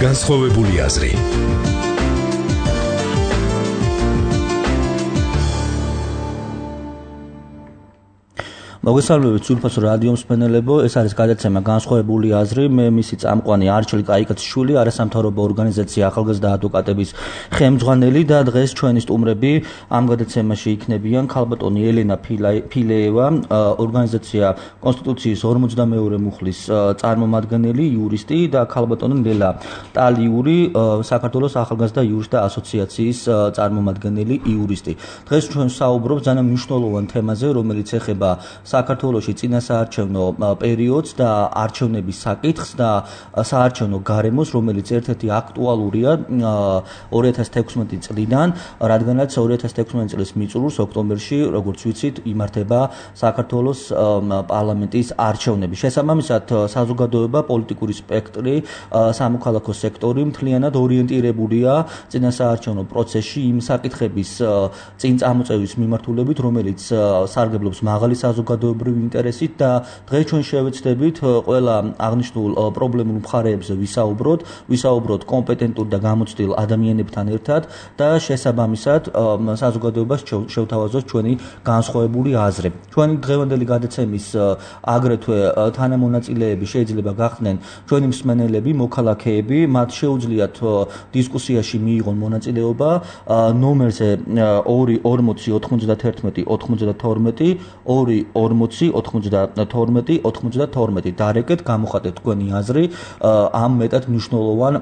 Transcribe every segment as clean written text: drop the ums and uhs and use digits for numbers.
განსხვავებული აზრი. მოგესალმებით სულფასო რადიო მსმენელებო, ეს არის გადაცემა განსხვავებული აზრი. მე მისი წამყვანი არჩილი კაიკაციშვილი, არასამთავრობო ორგანიზაცია ახალგაზრდა ადვოკატების ხელმძღვანელი და დღეს ჩვენი სტუმრები ამ გადაცემაში იქნებიან ქალბატონი ელენა ფილეევა, ორგანიზაცია კონსტიტუციის 52-ე მუხლის წარმომადგენელი, იურისტი და ქალბატონი ნელა ტალიური, საქართველოს ახალგაზრდა იურისტთა ასოციაციის წარმომადგენელი, იურისტი. დღეს ჩვენ საუბრობთ ძალიან მნიშვნელოვან თემაზე, რომელიც ეხება საქართველოში წინასაარჩევნო პერიოდს და არჩევნების საკითხს და საარჩევნო გარემოს, რომელიც ერთ-ერთი აქტუალურია 2016 წლიდან, რადგანაც 2016 წლის მიწურულს ოქტომბერში, როგორც ვიცით, იმართება საქართველოს პარლამენტის არჩევნები. შესაბამისად, საზოგადოება, პოლიტიკური სპექტრი, სამოქალაქო სექტორი მთლიანად ორიენტირებულია წინასაარჩევნო პროცესში იმ საკითხების წინ წამოწევის მიმართულებით, რომელიც სარგებლობს მაღალი საზოგადოებრივი ინტერესით და დღეს ჩვენ შევეცდებით ყველა აღნიშნულ პრობლემურ მხარეებზე ვისაუბროთ კომპეტენტურ და გამოცდილ ადამიანებთან ერთად და შესაბამისად საზოგადოებას შევთავაზოთ ჩვენი განსხვავებული აზრი. ჩვენი დღევანდელი გადაცემის აგრეთვე თანამონაწილეები შეიძლება გახდნენ ჩვენი მსმენელები, მოქალაქეები, მათ შეუძლიათ დისკუსიაში მიიღონ მონაწილეობა ნომერზე 240-92-92 დარეკეთ, გამოხატეთ თქვენი აზრი ამ მეტად მნიშვნელოვან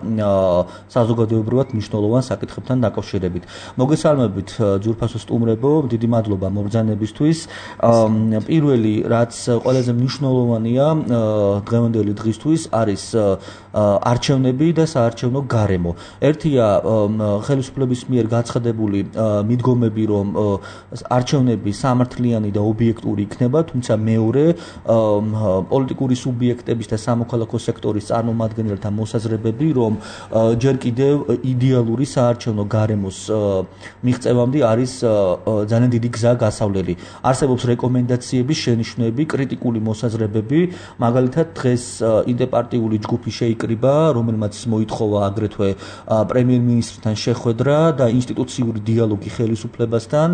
საზოგადოებრივად მნიშვნელოვან საკითხებთან დაკავშირებით. მოგესალმებით ძვირფასო სტუმრებო, დიდი მადლობა მობრძანებისთვის. პირველი, რაც ყველაზე მნიშვნელოვანია დღევანდელი დღისთვის, არის არჩევნები და საარჩევნო გარემო. ერთია ხელისუფლების მიერ გაცხადებული მიდგომები, რომ არჩევნები სამართლიანი და ობიექტური იქნება, თუმცა მეორე პოლიტიკური სუბიექტების და სამოქალაქო სექტორის წარმომადგენელთა მოსაზრებები, რომ ჯერ კიდევ იდეალური საარჩევნო გარემოს მიღწევამდე არის ძალიან დიდი გზა გასავლელი. არსებობს რეკომენდაციების შენიშვნები, კრიტიკული მოსაზრებები, მაგალითად დღეს ინტერპარტიული ჯგუფი შეიკრიბა, რომელმაც მოითხოვა აგრეთვე პრემიერ-მინისტრთან შეხვედრა და ინსტიტუციური დიალოგი ხელისუფლებასთან,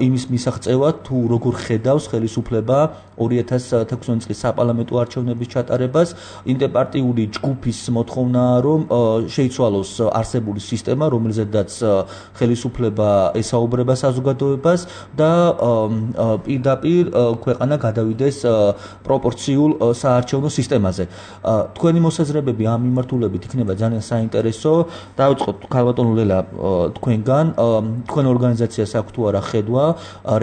იმის მისაღწევად თუ როგორ ხედავს ხელისუფლება 2016 წლის საპარლამენტო არჩევნების ჩატარებას. ინტერპარტიული ჯგუფის მოთხოვნაა, რომ შეიცვალოს არსებული სისტემა, რომელზედაც ხელისუფლება ესაუბრება საზოგადოებას და პირდაპირ ქვეყანა გადავიდეს პროპორციულ საარჩევნო სისტემაზე. თქვენი მოსაზრებები ამ მიმართულებით იქნება ძალიან საინტერესო. დავიწყოთ ქალბატონ ლელა თქვენგან, თქვენ ორგანიზაციას აქვს თუ არა ხედვა,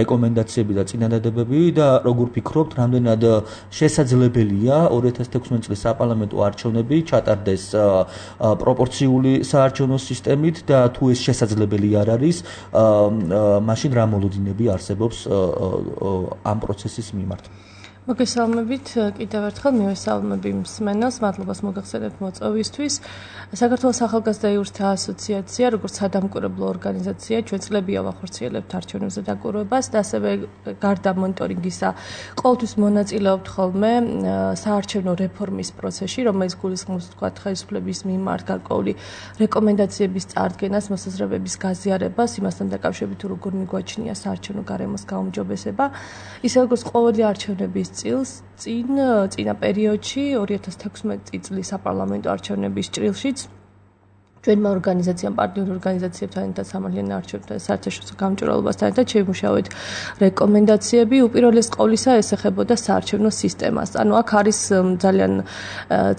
რეკომენდაციები და წინადადებები და როგორ ფიქრობთ, რამდენად შესაძლებელია 2016 წლის საპარლამენტო არჩევნები ჩატარდეს პროპორციული საარჩევნო სისტემით და თუ ეს შესაძლებელი არ არის, მაშინ რა მოლოდინები არსებობს ამ პროცესის მიმართ? მოგესალმებით კიდევ ერთხელ, მივესალმები მსმენელს, მადლობას მოგახსენებთ მოწვევისთვის. საქართველოს ახალგაზრდა იურისტთა ასოციაცია, როგორც სადამკვირვებლო ორგანიზაცია, ჩვენ წლებია ვახორციელებთ არჩევნებზე დაკვირვებას და ასევე გარდა მონიტორინგისა, ყოველთვის მონაწილეობთ ხოლმე საარჩევნო რეფორმის პროცესში, რომელიც გულისხმობს თქვათ ხელისუფლების მიმართ გარკვეული რეკომენდაციების წარდგენას, მოსაზრებების გაზიარებას, იმასთან დაკავშირებით თუ როგორ მიგვაჩნია საარჩევნო გარემოს გაუმჯობესება, ისე როგორც ყოველი არჩევნების წინა პერიოდში 2016 წლის საპარლამენტო არჩევნების ჭრილშიც ჩვენმა ორგანიზაციამ, პარტნიორ ორგანიზაციებთან ერთად სამართლიან არჩევნებთან საერთაშორისო გამჭვირვალობასთან ერთად შევიმუშავეთ რეკომენდაციები. უპირველეს ყოვლისა ეს ეხებოდა საარჩევნო სისტემას. ანუ აქ არის ძალიან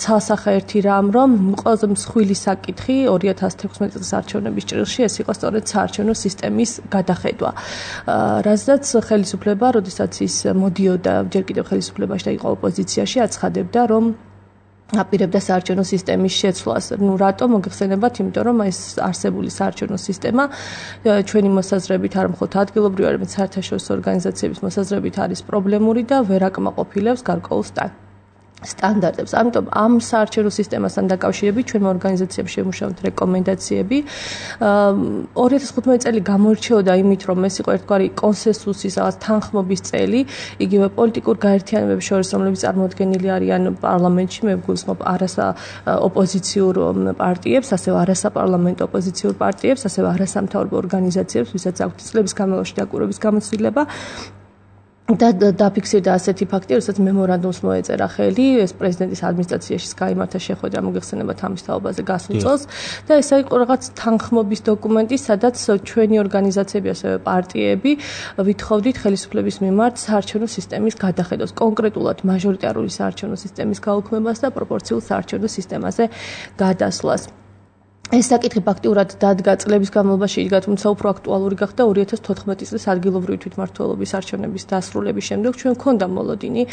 ცალსახე ერთი რამ, რომ ყველაზე მსხვილი საკითხი 2016 წლის არჩევნების ჭრილში ეს იყო სწორედ საარჩევნო სისტემის გადახედვა. რაზეც ხელისუფლება, როდესაც ის მოდიოდა ჯერ კიდევ ხელისუფლებაში და იყო ოპოზიციაში, აცხადებდა, რომ აპირებდა საარჩევნო სისტემის შეცვლას. რატომ მოგეხსენებათ? იმიტომ რომ ეს არსებული საარჩევნო სისტემა ჩვენი მოსაზრებით არ მხოლოდ ადგილობრივი, არამედ საერთაშორისო ორგანიზაციების მოსაზრებით არის პრობლემური და ვერ აკმაყოფილებს გარკვეულ სტანდარტებს. ამიტომ ამ საარჩევნო სისტემასთან დაკავშირებით ჩვენმა ორგანიზაციამ შევმუშავეთ რეკომენდაციები. 2015 წელი გამოირჩეოდა იმით, რომ ეს იყო ერთგვარი კონსენსუსის, რაღაც თანხმობის წელი, იგივე პოლიტიკურ გაერთიანებებს შორის, რომლებიც წარმოადგენილი არიან პარლამენტში, მე გულისხმობ არასა ოპოზიციურ პარტიებს, ასევე არასაპარლამენტო ოპოზიციურ პარტიებს, ასევე არასამთავრობო ორგანიზაციებს, ვისაც აქვთ წლების განმავლობაში დაკვირვების გამოცდილება. და დაფიქსირდა ასეთი ფაქტი, როდესაც მემორანდუმს მოეწერა ხელი, ეს პრეზიდენტის ადმინისტრაციაში გაიმართა შეხვედრა მოგეხსენებათ ამის თაობაზე გასულ წელს და ეს იყო რაღაც თანხმობის დოკუმენტი, სადაც ჩვენი ორგანიზაციები, ასევე პარტიები ვითხოვდით ხელისუფლების მიმართ საარჩევნო სისტემის გადახედოს, კონკრეტულად მაჟორიტარული საარჩევნო სისტემის გაუქმებას და პროპორციულ საარჩევნო სისტემაზე გადასვლას. ეს საკითხი ფაქტიურად დადგა წლების განმავლობაში, იდგა, თუმცა უფრო აქტუალური გახდა 2014 წლის ადგილობრივი თვითმმართველობის არჩევნების დასრულების შემდეგ. ჩვენ გვქონდა მოლოდინი,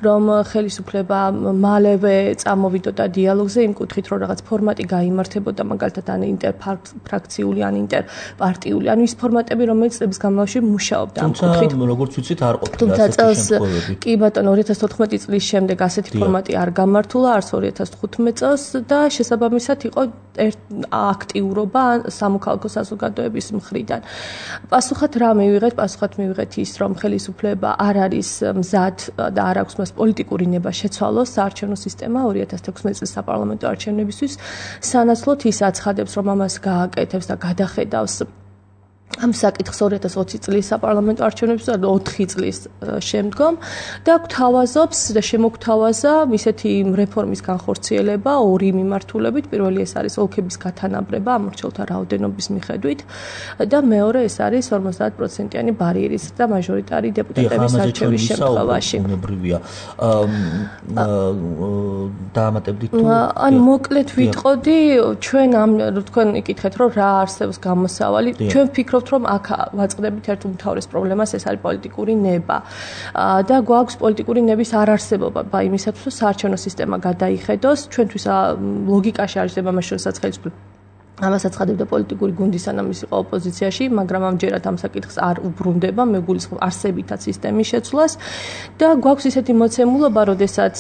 რომ ხელისუფლება მალევე წამოვიდოდა დიალოგზე იმ კუთხით, რომ რაღაც ფორმატი გაიმართებოდა, მაგალითად ან ინტერფრაქციული, ან ინტერპარტიული, ან ის ფორმატები, რომელიც წლების განმავლობაში მუშაობდა ამ კუთხით. თუმცა როგორც ვიცით, არ ყოფილა ასეთი შემთხვევები. კი ბატონო, 2014 წლის შემდეგ ასეთი ფორმატი არ გამართულა, არც 2015 წელს და შესაბამისად იყო აქტიურობა სამოქალაქო საზოგადოების მხრიდან. პასუხად რა მივიღეთ? პასუხად მივიღეთ ის, რომ ხელისუფლება არ არის მზად და არ აქვს მას პოლიტიკური ნება შეცვალოს საარჩევნო სისტემა 2016 წლის საპარლამენტო არჩევნებისთვის. სანაცვლოდ ის აცხადებს, რომ ამას გააკეთებს და გადახედავს ამ საკითხს 2020 წლის საპარლამენტო არჩევნებისთვის და 4 წლის შემდგომ და გვთავაზობს და შემოგთავაზა ისეთი რეფორმის განხორციელება ორი მიმართულებით. პირველი ეს არის ოლქების გათანაბრება ამორჩეულთა რაოდენობის მიხედვით და მეორე ეს არის 50%-იანი ბარიერის და მაჟორიტარი დეპუტატების არჩევის შემთხვევაში. დაამატებდით თუ ან მოკლედ ვიტყოდი, ჩვენ ამ თქვენ იკითხეთ, რომ რა არსებობს გამოსავალი, ჩვენ ვფიქრობთ, რომ აქ ვაწყდებით ერთ უმთავრეს პრობლემას, ეს არის პოლიტიკური ნება. და გვაქვს პოლიტიკური ნების არარსებობა იმისათვის, რომ საარჩევნო სისტემა გადაიხედოს. ჩვენთვის ლოგიკაში არის ამას შორისაც ხელისუფლება ამას აცხადებდა პოლიტიკური გუნდი, სანამ ის იყო ოპოზიციაში, მაგრამ ამჯერად ამ საკითხს არ უბრუნდება, მე გულისხმობ არსებითად სისტემის შეცვლას და გვაქვს ისეთი მოცემულობა, როდესაც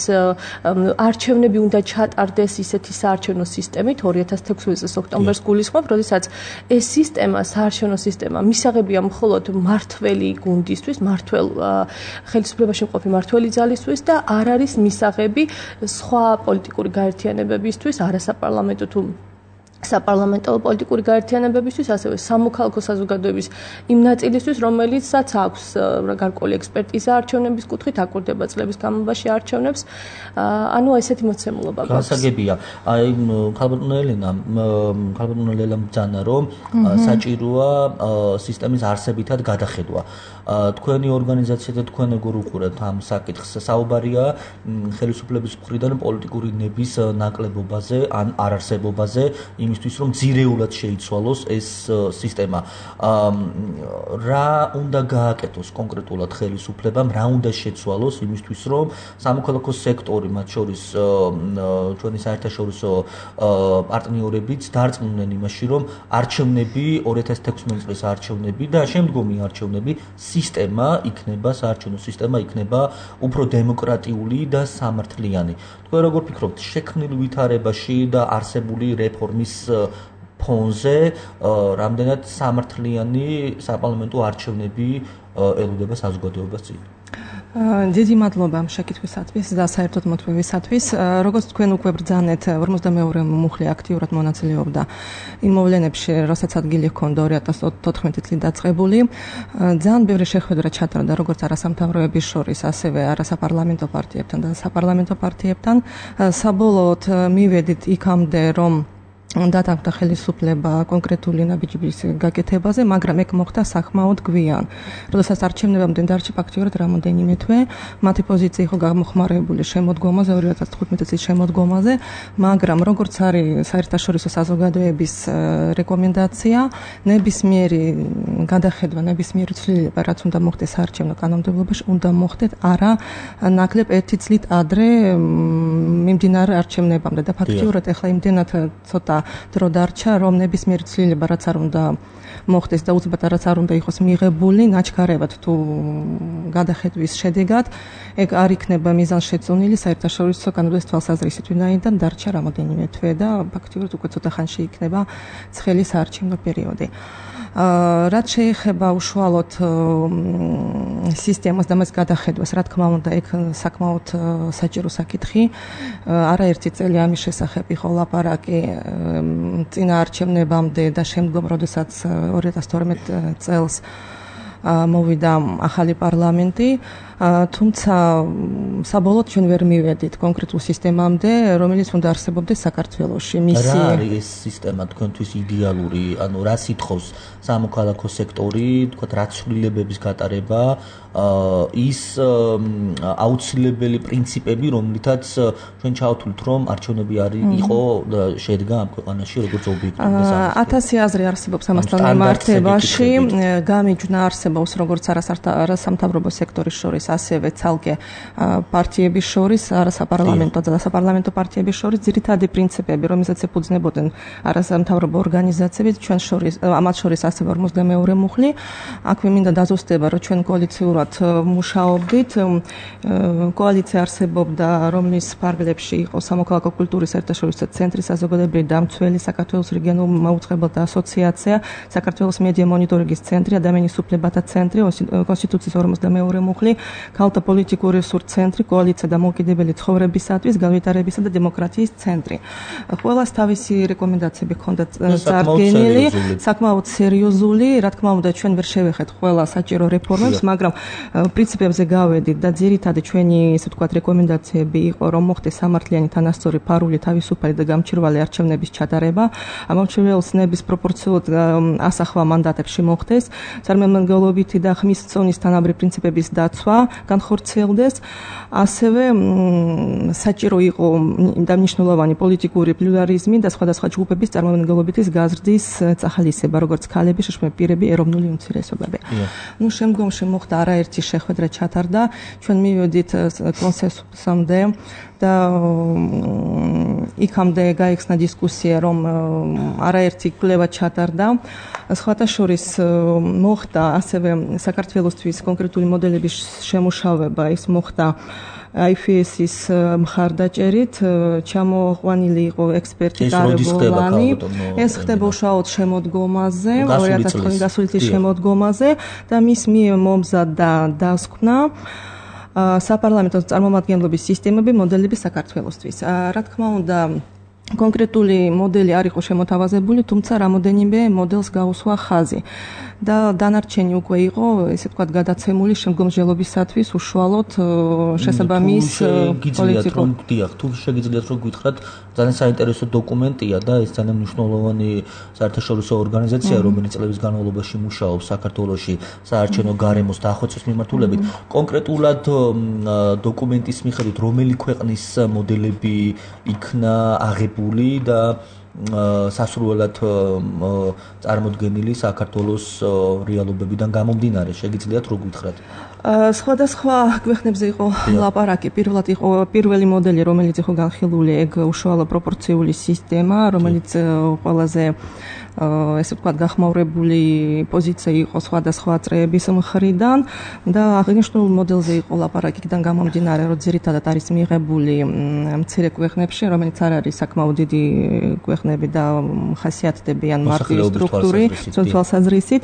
არჩევნები უნდა ჩატარდეს ისეთი საარჩევნო სისტემით 2016 წლის ოქტომბერს გულისხმობ, როდესაც ეს სისტემა, საარჩევნო სისტემა მისაღებია მხოლოდ მართველი გუნდისთვის, ხელისუფლებაში მყოფი მართველი ძალისთვის და არ არის მისაღები სხვა პოლიტიკური გაერთიანებებისთვის, არასაპარლამენტო თუ საპარლამენტო პოლიტიკური გაერთიანებებისთვის, ასევე სამოქალაქო საზოგადოების იმ ნაწილისთვის, რომელიცაც აქვს გარკვეული ექსპერტიზა არჩევნების კუთხით, აკვირდება წლების განმავლობაში არჩევნებს. ანუ ესეთი მოცემულობა გვაქვს. გასაგებია. აი ქალბატონო ელენამ ბრძანა, რომ საჭიროა სისტემის არსებითად გადახედვა. თქვენი ორგანიზაცია და თქვენ როგორ უყურებთ ამ საკითხს? საუბარია ხელისუფლების მხრიდან პოლიტიკური ნების ნაკლებობაზე ან არარსებობაზე, იმისთვის რომ ძირეულად შეიცვალოს ეს სისტემა. რა უნდა გააკეთოს კონკრეტულად ხელისუფლებამ, რა უნდა შეცვალოს იმისთვის რომ სამოქალაქო სექტორი, მათ შორის ჩვენი საერთაშორისო პარტნიორებიც დარწმუნდნენ იმაში, რომ არჩევნები 2016 წლის არჩევნები და შემდგომი არჩევნები სისტემა იქნება, საარჩევნო სისტემა იქნება უფრო დემოკრატიული და სამართლიანი. თქვენ როგორ ფიქრობთ, შექმნილ ვითარებაში და არსებული რეფორმის ფონზე რამდენად სამართლიანი საპარლამენტო არჩევნები ელოდება საზოგადოებას წინ? დიდი მადლობა ამ შეკითხვისათვის და საერთოდ მოთხოვისათვის. როგორც თქვენ უკვე ბრძანეთ, 42 მუხლი აქტიურად მონაწილეობდა იმ მოვლენებში, როსაც ადგილი ჰქონდა 2014 წლით დაწყებული. ძალიან ბევრი შეხვედრა ჩატარდა როგორც არასამთავროების შორის, ასევე არასაპარლამენტო პარტიებთან და საპარლამენტო პარტიებთან. საბოლოოდ მივედით იქამდე, რომ დათანხმდა ხელისუფლება კონკრეტული ნაბიჯების გაკეთებაზე, მაგრამ ეგ მოხდა სახმაოდ გვიან. როდესაც არჩევნებამდე დარჩა ფაქტიურად რამოდენიმე თვე, მათი პოზიცია იყო გამოხმარებული შემოდგომაზე, 2015 წლის შემოდგომაზე, მაგრამ როგორც არის საერთაშორისო საზოგადოების რეკომენდაცია, ნებისმიერი გადახედვა, ნებისმიერი ცვლილება, რაც უნდა მოხდეს საარჩევნო კანონმდებლობაში, უნდა მოხდეს არა ნაკლებ 1 წლით ადრე მიმდინარე არჩევნებამდე და ფაქტიურად ახლა იმდენად ცოტა დრო დარჩა, რომ ნებისმიერი ცვლილება რაც არ უნდა მოხდეს და უცბად რაც არ უნდა იყოს მიღებული, ნაჩქარევად თუ გადახედვის შედეგად, ეგ არ იქნება მიზანშეწონილი საერთაშორისო კანონების თვალსაზრისით, ვინაიდან დარჩა რამოდენიმე თვე და ფაქტიურად უკვე ცოტა ხანში იქნება ცხელი საარჩევნო პერიოდი. რაც შეეხება უშუალოდ სისტემას და მას გადახედვას, რა თქმა უნდა, ეგ საკმაოდ საჭირო საკითხი. არაერთი წელი ამის შესახებ იყო ლაპარაკი წინა არჩევნებამდე და შემდგომ, როდესაც 2012 წელს მოვიდა ახალი პარლამენტი, თუმცა საბოლოოდ ჩვენ ვერ მივედით კონკრეტულ სისტემამდე, რომელიც უნდა არსებობდეს საქართველოში. რა არის ეს სისტემა თქვენთვის იდეალური, ანუ რა სითხოს სამოქალაქო სექტორი, თქვა რა ცვლილებების გატარება, ის აუცილებელი პრინციპები, რომლითაც ჩვენ ჩავთვლით, რომ არჩევნები იყო შედგა ამ ქვეყანაში როგორც ობიექტური და სამართლიანი. 1000 აზრი არსებობს ამასთან მიმართებაში, გამიჯვნა არსებობს როგორც არასამთავრობო სექტორის შორის, ასევე ცალკე პარტიების შორის, არასაპარლამენტო და საპარლამენტო პარტიების შორის ძირითადი პრინციპები, რომელსაც ეფუძნებოდნენ არასამთავრობო ორგანიზაციები, ჩვენ შორის, ამათ შორის ასევე 52 მუხლი. აქვე მინდა დაზუსტება, რომ ჩვენ კოალიციურად მუშაობდით. კოალიცია არსებობდა, რომლის ფარგლებში იყო სამოქალაქო კულტურის საერთაშორისო ცენტრი, საზოგადოებრივი დამცველი, საქართველოს რეგიონული მაუწყებელთა ასოციაცია, საქართველოს მედია მონიტორინგის ცენტრი, ადამიანის უფლებათა ცენტრი, კონსტიტუციის 52 მუხლი, ქალთა პოლიტიკური რესურსის ცენტრი, კოალიცია დამოუკიდებელი ცხოვრებისათვის, განვითარებისა და დემოკრატიის ცენტრი. ყველას თავისი რეკომენდაციები ჰქონდა წარდგენილი, საკმაოდ სერიოზული, რა თქმა უნდა, ჩვენ ვერ შევეხეთ ყველა საჭირო რეფორმებს, მაგრამ პრინციპებზე გავედით და ძირითადად ჩვენი, ესე ვთქვათ, რეკომენდაციები იყო, რომ მოხდეს სამართლიანი, თანასწორი, ფარული, თავისუფალი და გამჭვირვალე არჩევნების ჩატარება, ამომრჩეველს პროპორციულად ასახვა მანდატებში მოხდეს, წარმომადგენლობითი და ხმის წონის თანაბარი პრინციპების დაცვა განხორციელდეს, ასევე საჭირო იყო და მნიშვნელოვანი პოლიტიკური პლურალიზმი და სხვადასხვა ჯგუფების წარმომადგენლობითი გაზრდის წახალისება, როგორც ქალები, შრომები, პირები, ეროვნული უმცირესობები. შემდგომში მოხდა არაერთი შეხვედრა ჩატარდა, ჩვენ მივედით კონსენსუსამდე და იქამდე გაიხსნა დისკუსია, რომ არაერთი კვლევა ჩატარდა. სხვათა შორის მოხდა ასევე საქართველოსთვის კონკრეტული მოდელების შემუშავება, ის მოხდა IFS-ის მხარდაჭერით, ჩამოყვანილი იყო ექსპერტი გარემოვლანი. ეს ხდება უშუალოდ შემოდგომაზე, 2009 გასული წლის შემოდგომაზე და მის მიერ მომზადდა დასკვნა საპარლამენტო წარმომადგენლობის სისტემები, მოდელები საქართველოსთვის. რა თქმა უნდა, კონკრეტული მოდელი არ იყო შემოთავაზებული, თუმცა რამოდენიმე მოდელს გაუსვა ხაზი. და დანარჩენი უკვე იყო, ესე ვთქვათ, გადაცემული შემდგომსჯელობისათვის უშუალოდ შესაბამის პოლიტიკურ. თუ შეგიძლიათ რომ გითხრათ, ძალიან საინტერესო დოკუმენტია და ეს ძალიან მნიშვნელოვანი საერთაშორისო ორგანიზაცია, რომელიც წლების განმავლობაში მუშაობს საქართველოში საარჩევნო გარემოს დახვეწვის მიმართულებით. კონკრეტულად დოკუმენტის მიხედვით, რომელი ქვეყნის მოდელები იქნა აღებული და სასურველად წარმოდგენილი საქართველოს რეალობებიდან გამომდინარე, შეგიძლიათ რო გითხრათ? სხვადასხვა ქვეყნებზე იყო ლაპარაკი. პირველად იყო პირველი მოდელი, რომელიც იყო განხილული, ეგ უშუალო პროპორციული სისტემა, რომელიც ყველაზე ესე ვთქვათ, გახმაურებული პოზიცია იყო სხვადასხვა წრეების მხრიდან და აღნიშნულ მოდელზე იყო ლაპარაკი, იქიდან გამომდინარე, რომ ძირითადად არის მიღებული მცირე ქვეყნებში, რომელიც არ არის საკმაოდ დიდი ქვეყნები და ხასიათდებიან მარტივი სტრუქტური, თვალსაზრისით.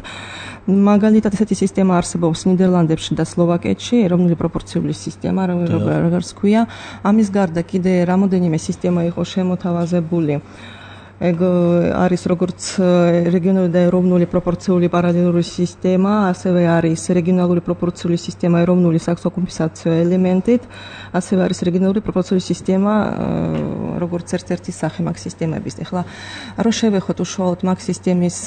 მაგალითად, ესეთი სისტემა არსებობს ნიდერლანდებში და სლოვაკეთში, ეროვნული პროპორციული სისტემა, როგორც ქვია. ამის გარდა კიდე რამოდენიმე სისტემა იყო შემოთავაზებული. ეგ არის როგორც რეგიონალური და ეროვნული პროპორციული პარალელური სისტემა, ასევე არის რეგიონალური პროპორციული სისტემა ეროვნული საქსოკომპენსაციო ელემენტით, ასევე არის რეგიონალური პროპორციული სისტემა, როგორც ერთ-ერთი სახე მაგ სისტემების. ეხლა რო შევეხოთ უშუალოდ მაგ სისტემის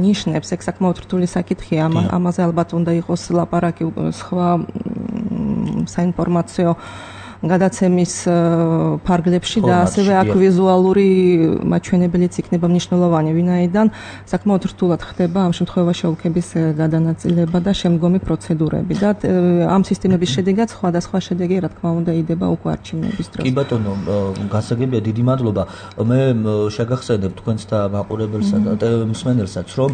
ნიშნებს, ეგ საკმაოდ რთული საკითხია, ამაზე ალბათ უნდა იყოს ლაპარაკი სხვა საინფორმაციო გადაცემის ფარგლებში და ასევე აქ ვიზუალური მაჩვენებელიც იქნება მნიშვნელოვანი, ვინაიდან საკმაოდ რთულად ხდება ამ შემთხვევაში ოლქების გადანაწილება და შემდგომი პროცედურები და ამ სისტემების შედეგად სხვადასხვა შედეგი რა თქმა უნდა იდება უკვე არჩევნების დროს. კი ბატონო, გასაგებია, დიდი მადლობა. მე შეგახსენებ თქვენს და მაყურებელსა და მსმენელსაც, რომ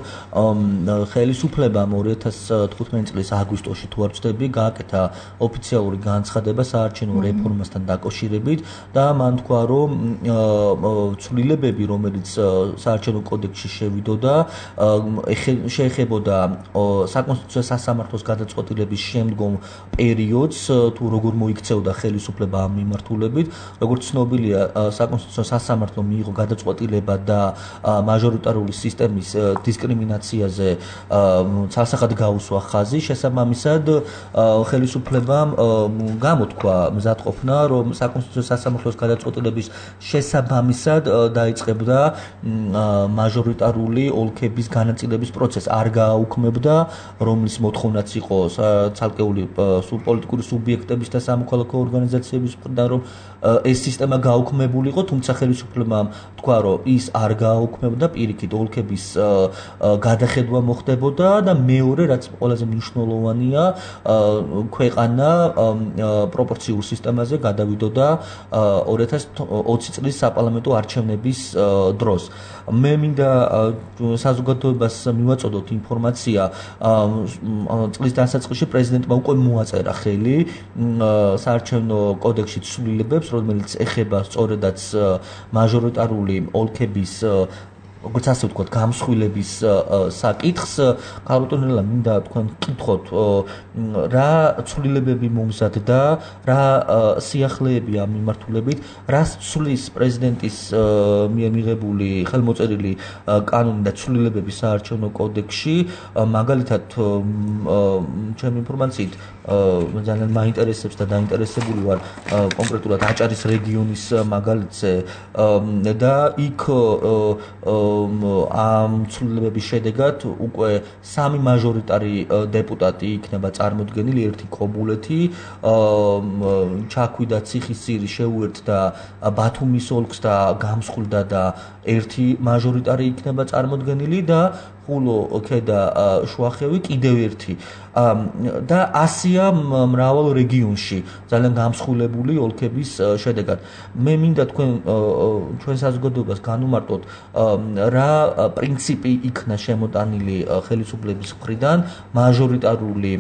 ხელისუფლებამ 2015 წლის აგვისტოში თუ არ ვცდები, გააკეთა ოფიციალური განცხადება საარჩევნო რეფორმასთან დაკავშირებით და მან თქვა, რომ ცვლილებები, რომელიც საარჩევნო კოდექსში შევიდოდა, შეეხებოდა საკონსტიტუციო სასამართლოს გადაწყვეტილების შემდგომ პერიოდს, თუ როგორ მოიქცეოდა ხელისუფლება ამ მიმართულებით. როგორც ცნობილია, საკონსტიტუციო სასამართლო მიიღო გადაწყვეტილება და მაჟორიტარული სისტემის დისკრიმინაციაზე ცალსახად გაუსვა ხაზი. შესაბამისად, ხელისუფლებამ გამოთქვა მზადყოფნა, რომ საკონსტიტუციო სასამართლოს გადაწყვეტილების შესაბამისად დაიწყებდა მაჟორიტარული ოლქების განაწილების პროცესს. არ გააუქმებდა, რომლის მოთხოვნაც იყო ცალკეული პოლიტიკური სუბიექტების და სამოქალაქო ორგანიზაციების მხრიდან, რომ ეს სისტემა გააუქმებულიყო, თუმცა ხელისუფლებამ თქვა, რომ ის არ გააუქმებდა, პირიქით ოლქების გადახედვა მოხდებოდა და მეორე, რაც ყველაზე მნიშვნელოვანია, ქვეყანა პროპორციულ სისტემაზე გადავიდოდა 2020 წლის საპარლამენტო არჩევნების დროს. მე მინდა საზოგადოებას მივაწოდოთ ინფორმაცია, წლის დასაწყისში პრეზიდენტმა უკვე მოაწერა ხელი საარჩევნო კოდექსში ცვლილებებს, რომელიც ეხება სწორედაც მაჟორიტარული ოლქების როგორც ასე ვთქვათ, გამსხვილების საკითხს. ქალბატონელა, მინდა თქვენ გკითხოთ, რა ცვლილებები მომზადდა, რა სიახლეები ამ მიმართულებით, რას ცვლის პრეზიდენტის მიერ მიღებული ხელმოწერილი კანონი და ცვლილებები საარჩევნო კოდექსში. მაგალითად, ჩემი ინფორმაციით, ძალიან მაინტერესებს და დაინტერესებული ვარ კონკრეტულად აჭარის რეგიონის მაგალითზე და იქ ამ ცვლილებების შედეგად უკვე 3 მაჟორიტარი დეპუტატი იქნება წარმოდგენილი, ერთი კობულეთი, ჩაქვიდა ციხისძირი შეუერთდა ბათუმის ოლქს და გამსხვილდა და ერთი მაჟორიტარი იქნება წარმოდგენილი და ხულო ქედა შუახევი კიდევ ერთი და ასია მრავალ რეგიონში ძალიან გამსხვილებული ოლქების შედეგად. მე მინდა ჩვენ საზოგადოებას განუმარტოთ, რა პრინციპი იქნა შემოტანილი ხელისუფლების მხრიდან მაჟორიტარული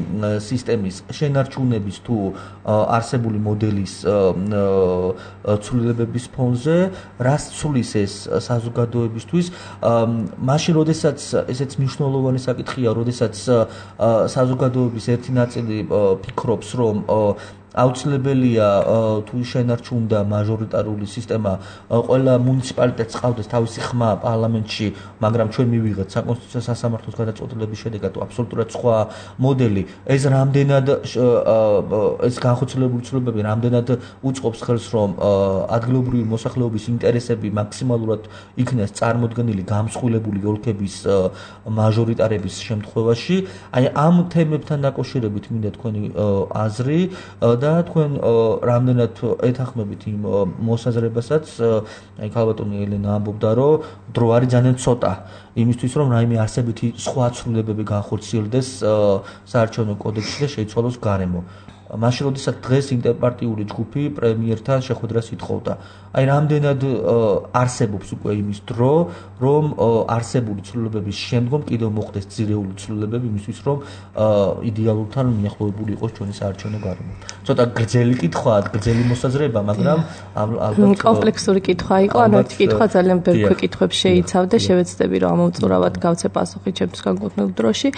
სისტემის შენარჩუნების თუ არსებული მოდელის ცვლილებების ფონზე, რას ცვლის ეს საზოგადოებისთვის. მაშინ, როდესაც ესეც მნიშვნელოვანი საკითხია, როდესაც საზოგადოების ერთი ნაწილი ფიქრობს, რომ აუცილებელია თუ შენარჩუნდა მაჟორიტარული სისტემა, ყველა მუნიციპალიტეტს ყავდეს თავისი ხმა პარლამენტში, მაგრამ ჩვენ მივიღეთ საკონსტიტუციო სასამართლოს გადაწყვეტილების შედეგად აბსოლუტურად სხვა მოდელი. ეს რამდენად ეს განხორციელებული ცვლილებები რამდენად უწყობს ხელს, რომ ადგილობრივი მოსახლეობის ინტერესები მაქსიმალურად იქნეს წარმოდგენილი გამსხვილებული ოლქების მაჟორიტარების შემთხვევაში. აი ამ თემებთან დაკავშირებით მინდა თქვენი აზრი და თქვენ რამდენად ეთანხმებით იმ მოსაზრებასაც, აი ქალბატონი ელენა ამბობდა, რომ დრო არის ძალიან ცოტა იმისთვის, რომ რაიმე არსებითი სხვა ცვლილებები განხორციელდეს საარჩევნო კოდექსში და შეიცვალოს გარემო. მაშინ, როდესაც დღეს ინტერპარტიული ჯგუფი პრემიერთან შეხვედრას ითხოვდა. აი რამდენად არსებობს უკვე იმის დრო, რომ არსებული ცვლილებების შემდგომ კიდევ მოხდეს ძირეული ცვლილებები იმისთვის, რომ იდეალურთან მიახლოებული იყოს ჩვენი საარჩევნო გარემო. ცოტა გრძელი კითხვაა, გრძელი მოსაზრება, მაგრამ ალბათ კომპლექსური კითხვა იყო, ანუ ერთი კითხვა ძალიან ბევრ კითხვებს შეიცავდა, შევეცდები რომ ამომწურავად გავცე პასუხი ჩემს განკუთვნილ დროში.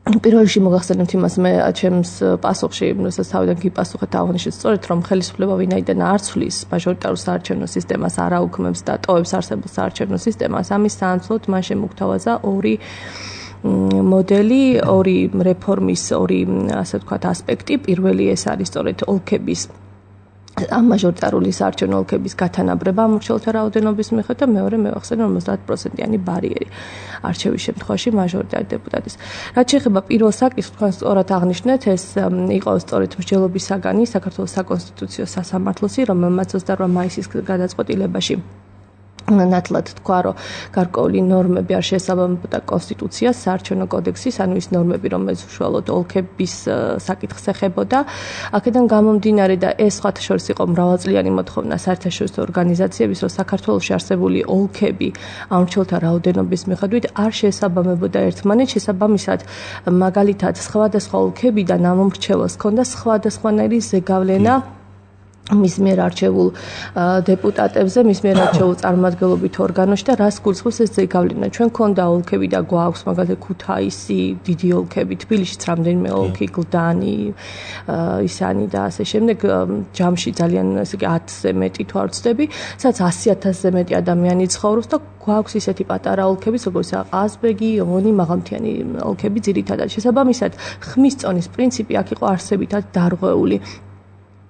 პირველში მოგახსენებთ იმას, მე ჩემს პასუხში, როდესაც თავიდან გიპასუხეთ აღნიშნეთ სწორედ, რომ ხელისუფლება ვინაიდან არ ცვლის მაჟორიტარულ საარჩევნო სისტემას, არ აუქმებს და ტოვებს არსებულ საარჩევნო სისტემას, ამის საანცვლოდ მან შემოგთავაზა ორი მოდელი, ორი რეფორმის, ორი ასე ვთქვათ ასპექტი. პირველი ეს არის სწორედ ოლქების ამ მაჟორიტარული საარჩევნო ოლქების გათანაბრება ამორჩეულთა რაოდენობის მიხედვით და მეორე მევახსენე 50%-იანი ბარიერი არჩევის შემთხვევაში მაჟორიტარ დეპუტატის. რაც შეეხება პირველ საკითხს, თქვენ სწორად აღნიშნეთ, ეს იყო სწორედ მსჯელობის საგანი საქართველოს საკონსტიტუციო სასამართლოსი, რომელმაც 28 მაისის გადაწყვეტილებაში ნათლად თქვა, რომ გარკვეული ნორმები არ შეესაბამებოდა კონსტიტუციას, საარჩევნო კოდექსის, ანუ ის ნორმები, რომელიც უშუალოდ ოლქების საკითხს ეხებოდა. აქედან გამომდინარე და ეს სხვათა შორის იყო მრავალწლიანი მოთხოვნა საერთაშორისო ორგანიზაციების, რომ საქართველოში არსებული ოლქები ამორჩეულთა რაოდენობის მიხედვით არ შეესაბამებოდა ერთმანეთს, შესაბამისად, მაგალითად, სხვადასხვა ოლქებიდან ამ მომრჩეველს ჰქონდა სხვადასხვანაირი ზეგავლენა მის მიერ არჩეულ დეპუტატებზე, მის მიერ არჩეულ წარმომადგენლობით ორგანოში და რას გულისხმობს ეს ზეგავლენა. ჩვენ გქონდა ოლქები და გვაქვს მაგალითად ქუთაისი, დიდი ოლქები, თბილისშიც რამდენიმე ოლქი, გლდანი, ისანი და ასე შემდეგ, ჯამში ძალიან ესე იგი 10-ზე მეტი თუ არ ვცდები, სადაც 100,000-ზე მეტი ადამიანი ცხოვრობს და გვაქვს ისეთი პატარა ოლქები, როგორც ყაზბეგი, ონი, მაღალმთიანი ოლქები ძირითადად. შესაბამისად, ხმის წონის პრინციპი აქ იყო არსებითად დარღვეული.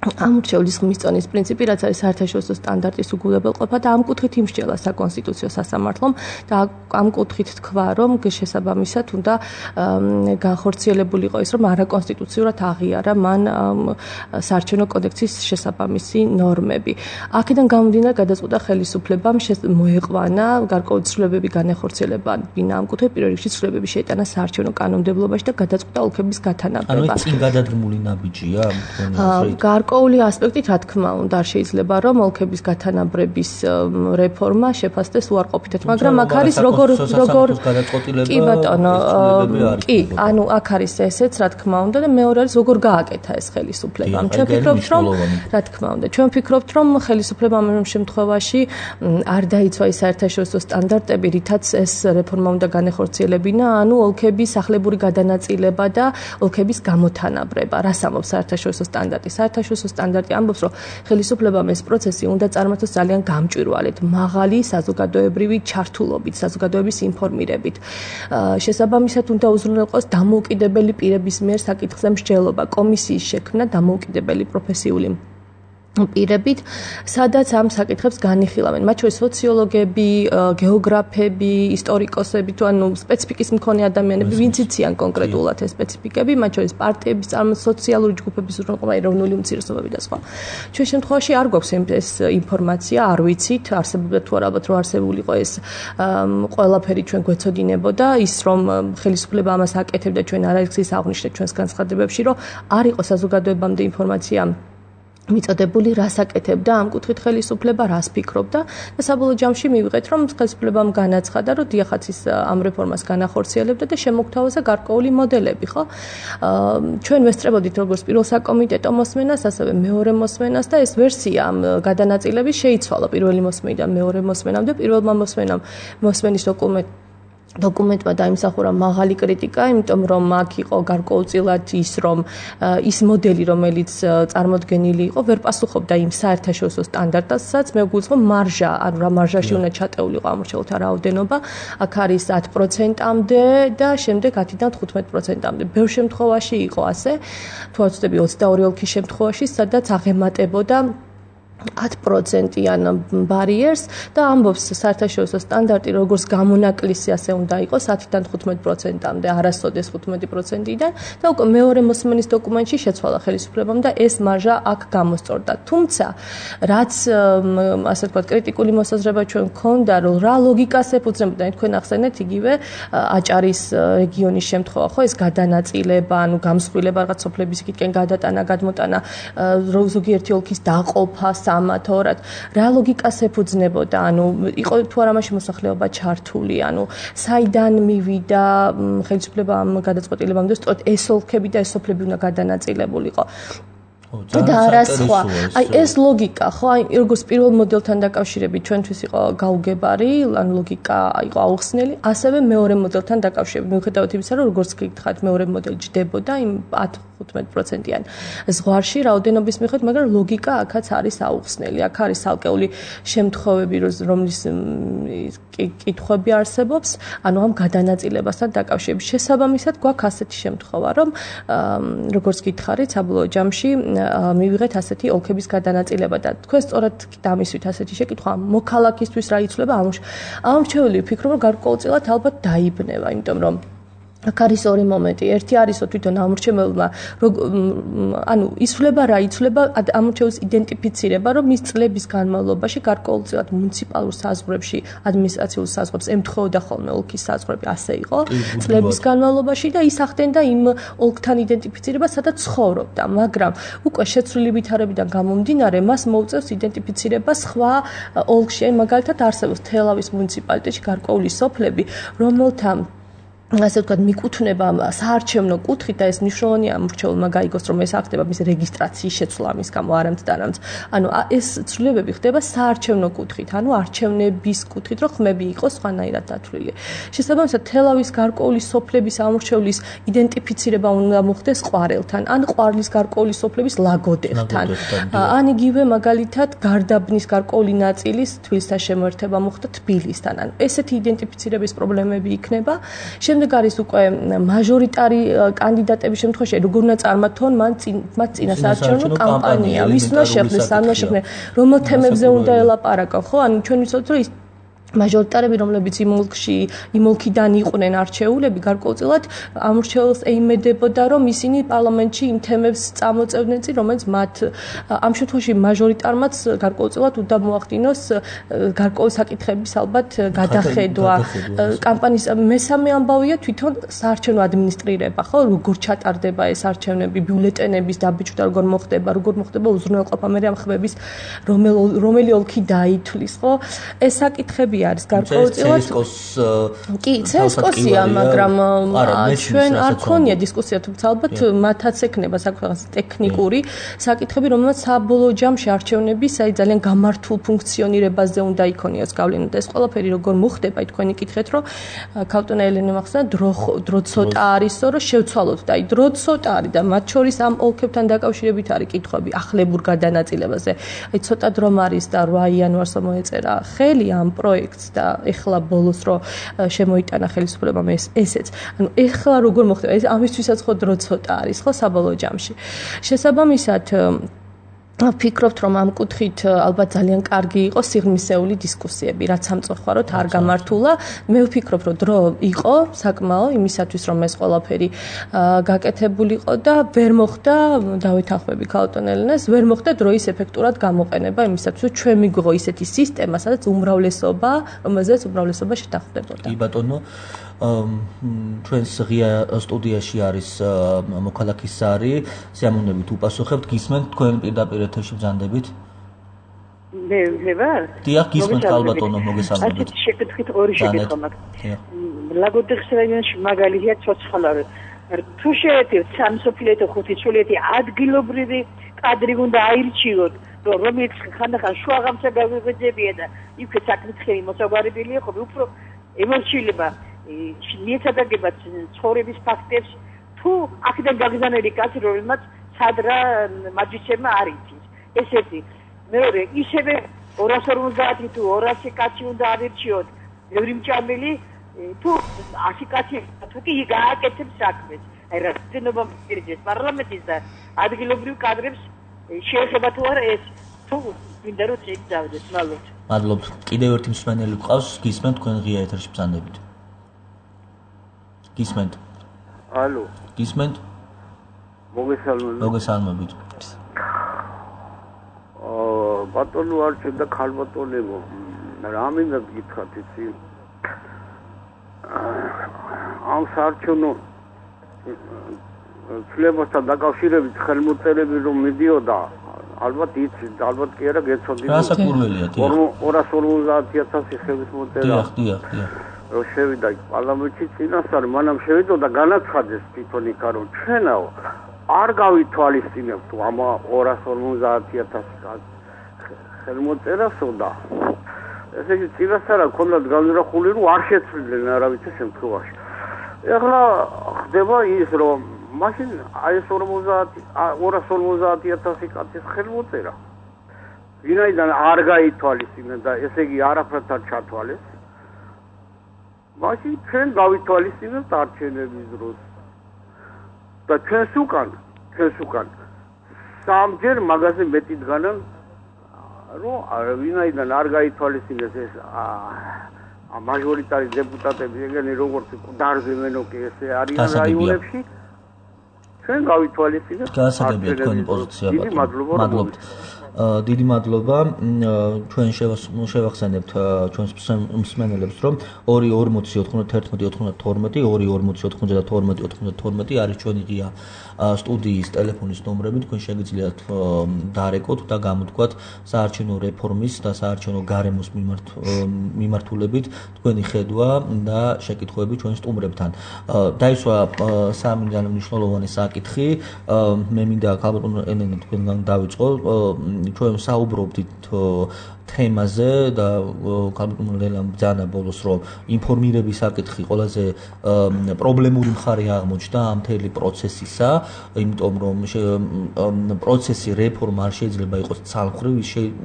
ამორჩეულის ხმის წონის პრინციპი, რაც არის საერთაშორისო სტანდარტის უგულებელყოფა და ამ კუთხით იმსჯელა საკონსტიტუციო სასამართლომ და ამ კუთხით თქვა, რომ შესაბამისად უნდა განხორციელებულიყო ის, რომ არაკონსტიტუციურად აღიარა მან საარჩევნო კოდექსის შესაბამისი ნორმები. აქედან გამომდინარე გადაწყვეტა ხელისუფლებამ მოეყვანა გარკვეული ცვლილებები განახორციელება ამ კუთხით, პირველ რიგში ცვლილებები შეიტანა საარჩევნო კანონმდებლობაში და გადაწყვეტა ოლქების გათანაბრება. ანუ წინ გადადგმული ნაბიჯია? გარკვეული ასპექტით, რა თქმა უნდა, არ შეიძლება რომ ოლქების გათანაბრების რეფორმა შეფასდეს უარყოფითად, მაგრამ აქ არის როგორ კი ბატონო, კი, ანუ აქ არის ესეც, რა თქმა უნდა და მეორე არის როგორ გააკეთა ეს ხელისუფლებამ. ჩვენ ვფიქრობთ, რომ რა თქმა უნდა, ჩვენ ვფიქრობთ, რომ ხელისუფლებამ ამ შემთხვევაში არ დაიცვა ის საერთაშორისო სტანდარტები, რითაც ეს რეფორმა უნდა განეხორციელებინა, ანუ ოლქების ახლებური გადანაწილება და ოლქების გამოთანაბრება. რას ამბობს საერთაშორისო სტანდარტი? საერთაშორისო სტანდარტი ამბობს, რომ ხელისუფლებამ ეს პროცესი უნდა წარმართოს ძალიან გამჭვირვალედ, მაღალი საზოგადოებრივი ჩართულობით, საზოგადოების ინფორმირებით. შესაბამისად უნდა უზრუნველყოს დამოუკიდებელი პირების მიერ საკითხზე მსჯელობა, კომისიის შექმნა დამოუკიდებელი პროფესიული პირებით, სადაც ამ საკითხებს განიხილავენ, მათ შორის სოციოლოგები, გეოგრაფები, ისტორიკოსები, თუ ანუ სპეციფიკის მქონე ადამიანები, ვინც იციან კონკრეტულად ეს სპეციფიკები, მათ შორის პარტიების სოციალური ჯგუფების უზრუნველყოფა, ეროვნული უმცირესობები და სხვა. ჩვენ შემთხვევაში არ გვაქვს ეს ინფორმაცია, არ ვიცით, არსებობდა თუ არა, ალბათ რომ არსებულიყო ეს ყველაფერი ჩვენ გვეცოდინებოდა, ის რომ ხელისუფლება ამას აკეთებდა, ჩვენ არაერთხელ ის აღვნიშნეთ ჩვენს განცხადებებში, რომ არ იყო საზოგადოებამდე ინფორმაცია მიწოდებული, რას აკეთებდა ამ კუთხით ხელისუფლება, რას ფიქრობდა და საბოლოო ჯამში მივიღეთ, რომ ხელისუფლებამ განაცხადა, რომ დიახაც ამ რეფორმას განახორციელებდა და შემოგთავაზა გარკვეული მოდელები, ხო? ჩვენ ვესწრებოდით როგორც პირველ საკომიტეტო მოსმენას, ასევე მეორე მოსმენას და ეს ვერსია ამ გადანაწილების შეიცვალა პირველი მოსმენიდან მეორე მოსმენამდე, პირველმა მოსმენის დოკუმენტმა დაიმსახურა მაღალი კრიტიკა, იმიტომ რომ აქ იყო გარკვეულწილად ის, რომ ის მოდელი, რომელიც წარმოდგენილი იყო, ვერ პასუხობდა იმ საერთაშორისო სტანდარტებსაც. მე ვგულისხმობ მარჟა, ანუ რა მარჟაში უნდა ჩატეულიყო ამორჩეულთა რაოდენობა, აქ არის 10%-მდე და შემდეგ 10-დან 15%-მდე. ბევრ შემთხვევაში იყო ასე, თუ არ ვცდები 22 ოლქის შემთხვევაში, სადაც აღემატებოდა 10%-იან ბარიერს და ამბობს საერთაშორისო სტანდარტი როგორც გამონაკლისი ასე უნდა იყოს 10-დან 15%-მდე, არასოდეს 15%-დან და უკვე მეორე მოსმენის დოკუმენტში შეცვალა ხელისუფლებამ და ეს მარჟა აქ გამოსწორდა. თუმცა, რაც ასე ვთქვათ, კრიტიკული მოსაზრება ჩვენ გქონდა, რომ რა ლოგიკას ეფუძნებოდა, თქვენ ახსენეთ იგივე აჭარის რეგიონის შემთხვევა, ხო, ეს გადანაწილება, ანუ გამსხვილება რაღაც სოფლების იქითკენ გადატანა, გადმოტანა, ზოგიერთი ოლქის დაყოფა ამათორად რა ლოგიკას ეფუძნებოდა, ანუ იყო თუ არა მაშინ მოსახლეობა ჩართული, ანუ საიდან მივიდა ხელისუფლება ამ გადაწყვეტილებამდე, სწორედ ეს ოლქები და ეს სოფლები უნდა გადანაწილებულიყო. და რა სხვა. აი ეს ლოგიკა, ხო, აი როგორც პირველ მოდელთან დაკავშირებით ჩვენთვის იყო გაუგებარი, ანუ ლოგიკა იყო აუხსნელი, ასევე მეორე მოდელთან დაკავშირებით. მიუხედავად იმისა, რომ როგორც გითხარით, მეორე მოდელი ჯდებოდა იმ 15%-იან ზღვარში რაოდენობის მიხედვით, მაგრამ ლოგიკა აქაც არის აუხსნელი. აქ არის ალკეული შემთხვევები, რომლის კითხვები არსებობს, ანუ ამ გადანაწილებასთან დაკავშირებით. შესაბამისად, გვაქვს ასეთი შემთხვევა, რომ როგორც გითხარით, საბოლოო ჯამში მივიღეთ ასეთი ოლქების გადანაწილება და თქვენ სწორად დამისვით ასეთი შეკითხვა მოქალაქისთვის რა იცვლება ამორჩეული ვფიქრობ, რომ გარკვეულწილად ალბათ დაიბნება, იმიტომ რომ აქ არის ორი მომენტი. ერთი არისო თვითონ ამორჩეველმა, ანუ იცვლება რა იცვლება ამორჩეველს იდენტიფიცირება, რომ მის წლების განმავლობაში გარკვეულწილად მუნიციპალურ საზღვრებში, ადმინისტრაციულ საზღვრებს ემთხვეოდა ხოლმე ოლქის საზღვრები, ასე იყო წლების განმავლობაში და ის ახდენდა იმ ოლქთან იდენტიფიცირება, სადაც ცხოვრობდა, მაგრამ უკვე შეცვლილი ვითარებიდან გამომდინარე, მას მოუწევს იდენტიფიცირება სხვა ოლქში, აი მაგალითად არსებობს თელავის მუნიციპალიტეტში გარკვეული სოფლები, რომელთა ასე ვთქვათ, მიკუთვნება საარჩევნო კუთხით და ეს მნიშვნელოვანია ამორჩეულმა გაიგოს, რომ ეს ახდება მის რეგისტრაციის შეცვლა ამის გამო არამც. ანუ ეს ცვლილებები ხდება საარჩევნო კუთხით, ანუ არჩევნების კუთხით, რომ ხმები იყოს სხვანაირად დათვლილი. შესაბამისად, თელავის გარკვეული სოფლების ამორჩევლის იდენტიფიცირება უნდა მოხდეს ყვარელთან, ან ყვარლის გარკვეული სოფლების ლაგოდებთან. ან იგივე მაგალითად გარდაბნის გარკვეული ნაწილის თბილისთან შემოერთება მოხდა თბილისთან. ანუ ესეთი იდენტიფიცირების პრობლემები იქნება. შემდეგ არის უკვე მაჟორიტარი კანდიდატების შემთხვევაში, როგორ უნდა წარმართონ მათ წინასაარჩევნო კამპანია, ვის უნდა შეხნეს, სამ უნდა შეხნეს, რომელ თემებზე უნდა ელაპარაკონ, ხო? ანუ ჩვენ ვიცოდით, რომ მაჟორიტარები, რომლებიც იმ ოლქიდან იყვნენ არჩეულები, გარკვეულწილად ამორჩეულს ეიმედებოდა, რომ ისინი პარლამენტში იმ თემებს წამოწევდნენ წინ, რომელიც მათ ამ შემთხვევაში მაჟორიტარმაც გარკვეულწილად უნდა მოახდინოს გარკვეული საკითხების ალბათ გადახედვა. კამპანიის მესამე ამბავია თვითონ საარჩევნო ადმინისტრირება, ხო? როგორ ჩატარდება ეს არჩევნები, ბიულეტენების დაბეჭდა როგორ მოხდება უზრუნველყოფა მე ამ ხმების რომელი ოლქი დაითვლის, ხო? ეს საკითხები არის გარკვეულწილად კი ცესკოსია, მაგრამ ჩვენ არ ქონია დისკუსია, თუმცა ალბათ მათაც ექნება საკუთარ ტექნიკური საკითხები, რომელსაც საბოლოო ჯამში არჩევნების აი ძალიან გამართულ ფუნქციონირებაზე უნდა იქონიოს გავლენა და ეს ყველაფერი როგორ მოხდება, თქვენი კითხეთ, რომ ქალბატონი ელენე მახსნა დრო ცოტა არისო, რომ შევცვალოთ და აი დრო ცოტა არის და მათ შორის ამ ოლქებთან დაკავშირებით არის კითხვები ახლებურ გადანაწილებაზე. აი ცოტა დრომ არის და 8 იანვარს მოეწერა ხელი ამ პროექტს და ეხლა ბოლოს რო შემოიტანა ხელისუფლებამ ესეც. ანუ ეხლა როგორ მოხდება? ეს ამისთვისაც ხო დრო ცოტა არის, ხო საბოლოო ჯამში. შესაბამისად ვფიქრობთ, რომ ამ კუთხით ალბათ ძალიან კარგი იყო სიღრმისეული დისკუსიები, რაც სამწუხაროდ არ გამართულა. მე ვფიქრობ, რომ დრო იყო საკმაო იმისათვის, რომ ეს ყველაფერი გაკეთებულიყო და ვერ მოხდა, დავეთანხმები ქალბატონ ელენეს, ვერ მოხდა დროის ეფექტურად გამოყენება იმისათვის, რომ ჩვენ მიგვიღო ისეთი სისტემა, სადაც უმრავლესობა, რომელზეც უმრავლესობა შეთანხმდებოდა. კი ბატონო, ჩვენს ღია სტუდიაში არის მოქალაქის სარი, სიამოვნებით უპასუხებთ, გისმენთ თქვენ პირდაპირ ეთერში ბრძანდებით? მე ვარ? დიახ, გისმენთ ქალბატონო, მოგესალმებით. ასეთი შეკითხვით ორი შეკითხვა მაქვს. ლაგოდეხის რაიონში მაგალითია ცოცხალავი. თუ შეეთევთ სამსოფლიო ხუთი ჩულეთი ადგილობრივი კადრი უნდა აირჩიოთ, რომელიც ხანდახან შუაღამსა გავიღვიძებია და იქვე საკითხები მოსაგვარებელია, ხო უფრო ემორჩილება მიეცადაგება ცხოვრების ფაქტებს თუ აქედან გაგზავნილი კაცი, რომელმაც სადრა მაჯისება არ იცის. ესეთი. მეორე, ისევე 250 თუ 200 კაცი უნდა ავირჩიოთ, ბევრი მჭამელი თუ 100 კაცი თუ კი გააკეთებს საქმეს. აი რაღაცნაირად მიგიძეს პარლამენტის და ადგილობრივ კადრებს შეეხება თუ არა ეს თუ მინდა რომ წავიდეს, მადლობთ. მადლობთ. კიდევ ერთი მსმენელი გვყავს, გისმენთ თქვენ ღია ეთერში ბრძანდებით. გისმენთ? ალო. გისმენთ? მოგესალმებით. ბატონო არჩენ და ქალბატონებო, რა მინდა გითხრათ იცი? ამ საარჩევნო ცვლილებასთან დაკავშირებით ხელმოწერები რომ მიდიოდა, ალბათ იცით, ალბათ კი არა გეცოდით. რა საკურველია, დიახ. 250,000 ხელის მოწერა. დიახ. რომ შევიდა პარლამენტში წინასწარ, მანამ შევიდა და განაცხადეს თვითონ იქა რომ ჩვენაო არ გავითვალისწინებთ ამ 250,000 ხელმოწერასო და ესე იგი წინასწარ ქონდათ განზრახული რომ არ შეცვლიდნენ არავითარ შემთხვევაში. ეხლა ხდება ის რომ მაშინ აი ეს 250,000 კაცის ხელმოწერა ვინაიდან არ გაითვალისწინა და ესე იგი არაფრად არ ჩათვალეს მაშინ ჩვენ გავითვალისწინებთ არჩევნების დროს და ჩვენს უკან სამჯერ მაგაზე მეტი დგანან რომ ვინაიდან არ გაითვალისწინეს ეს მაჟორიტარი დეპუტატები ეგენი როგორც დარზემენო კი ესე არიან რაიონებში ჩვენ გავითვალისწინებთ გასაგებია თქვენი პოზიცია მადლობთ დიდი მადლობა ჩვენ შევახსენებთ ჩვენს მსმენელებს რომ 240-91-92 არის ჩვენი ღია სტუდიის ტელეფონის ნომრები თქვენ შეგიძლიათ დარეკოთ და გამოთქვათ საარჩევნო რეფორმის და საარჩევნო გარემოს მიმართულებით თქვენი ხედვა და შეკითხვები ჩვენ სტუმრებთან დაისვა სამი მნიშვნელოვანი საკითხი მე მინდა ქალბატონ ელენე თქვენგან დავიწყო ჩვენ საუბრობდით თემაზე და ქალბატონ ლელამ ბრძანა ბოლოს რომ ინფორმირების საკითხი ყველაზე პრობლემური მხარე აღმოჩნდა ამ მთელი პროცესისა იმიტომ რომ პროცესი რეფორმა არ შეიძლება იყოს ცალმხრივი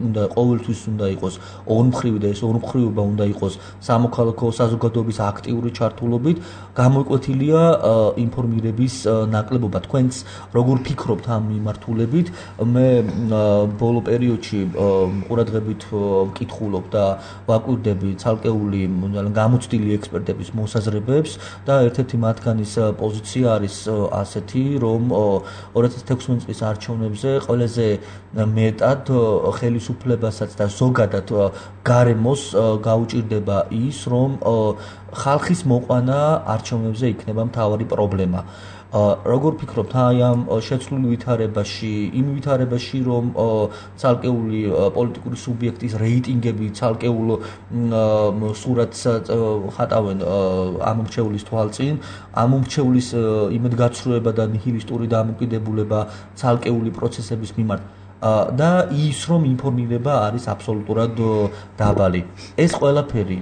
უნდა ყოველთვის უნდა იყოს ორმხრივი და ეს ორმხრივობა უნდა იყოს სამოქალაქო საზოგადოების აქტიური ჩართულობით გამოკვეთილია ინფორმირების ნაკლებობა თქვენც როგორ ფიქრობთ ამ მიმართულებით მე ბოლო პერიოდში ყურადღებით ვკითხულობ და ვაკვირდები ცალკეული გამოცდილი ექსპერტების მოსაზრებებს და ერთ-ერთი მათგანის პოზიცია არის ასეთი, რომ 2016 წლის არჩევნებზე ყველაზე მეტად ხელისუფლებასაც და ზოგადად გარემოს გაუჭირდება ის, რომ ხალხის მოყვანა არჩევნებზე იქნება მთავარი პრობლემა. როგორ ფიქრობთ აი ამ შეცვლილ ვითარებაში, იმ ვითარებაში, რომ ცალკეული პოლიტიკური სუბიექტის რეიტინგები ცალკეულ სურათს ხატავენ ამომრჩევლის თვალწინ, ამომრჩევლის იმედგაცრუება და ნიჰილისტური დამოკიდებულება ცალკეული პროცესების მიმართ და ის რომ ინფორმირება არის აბსოლუტურად დაბალი. ეს ყველაფერი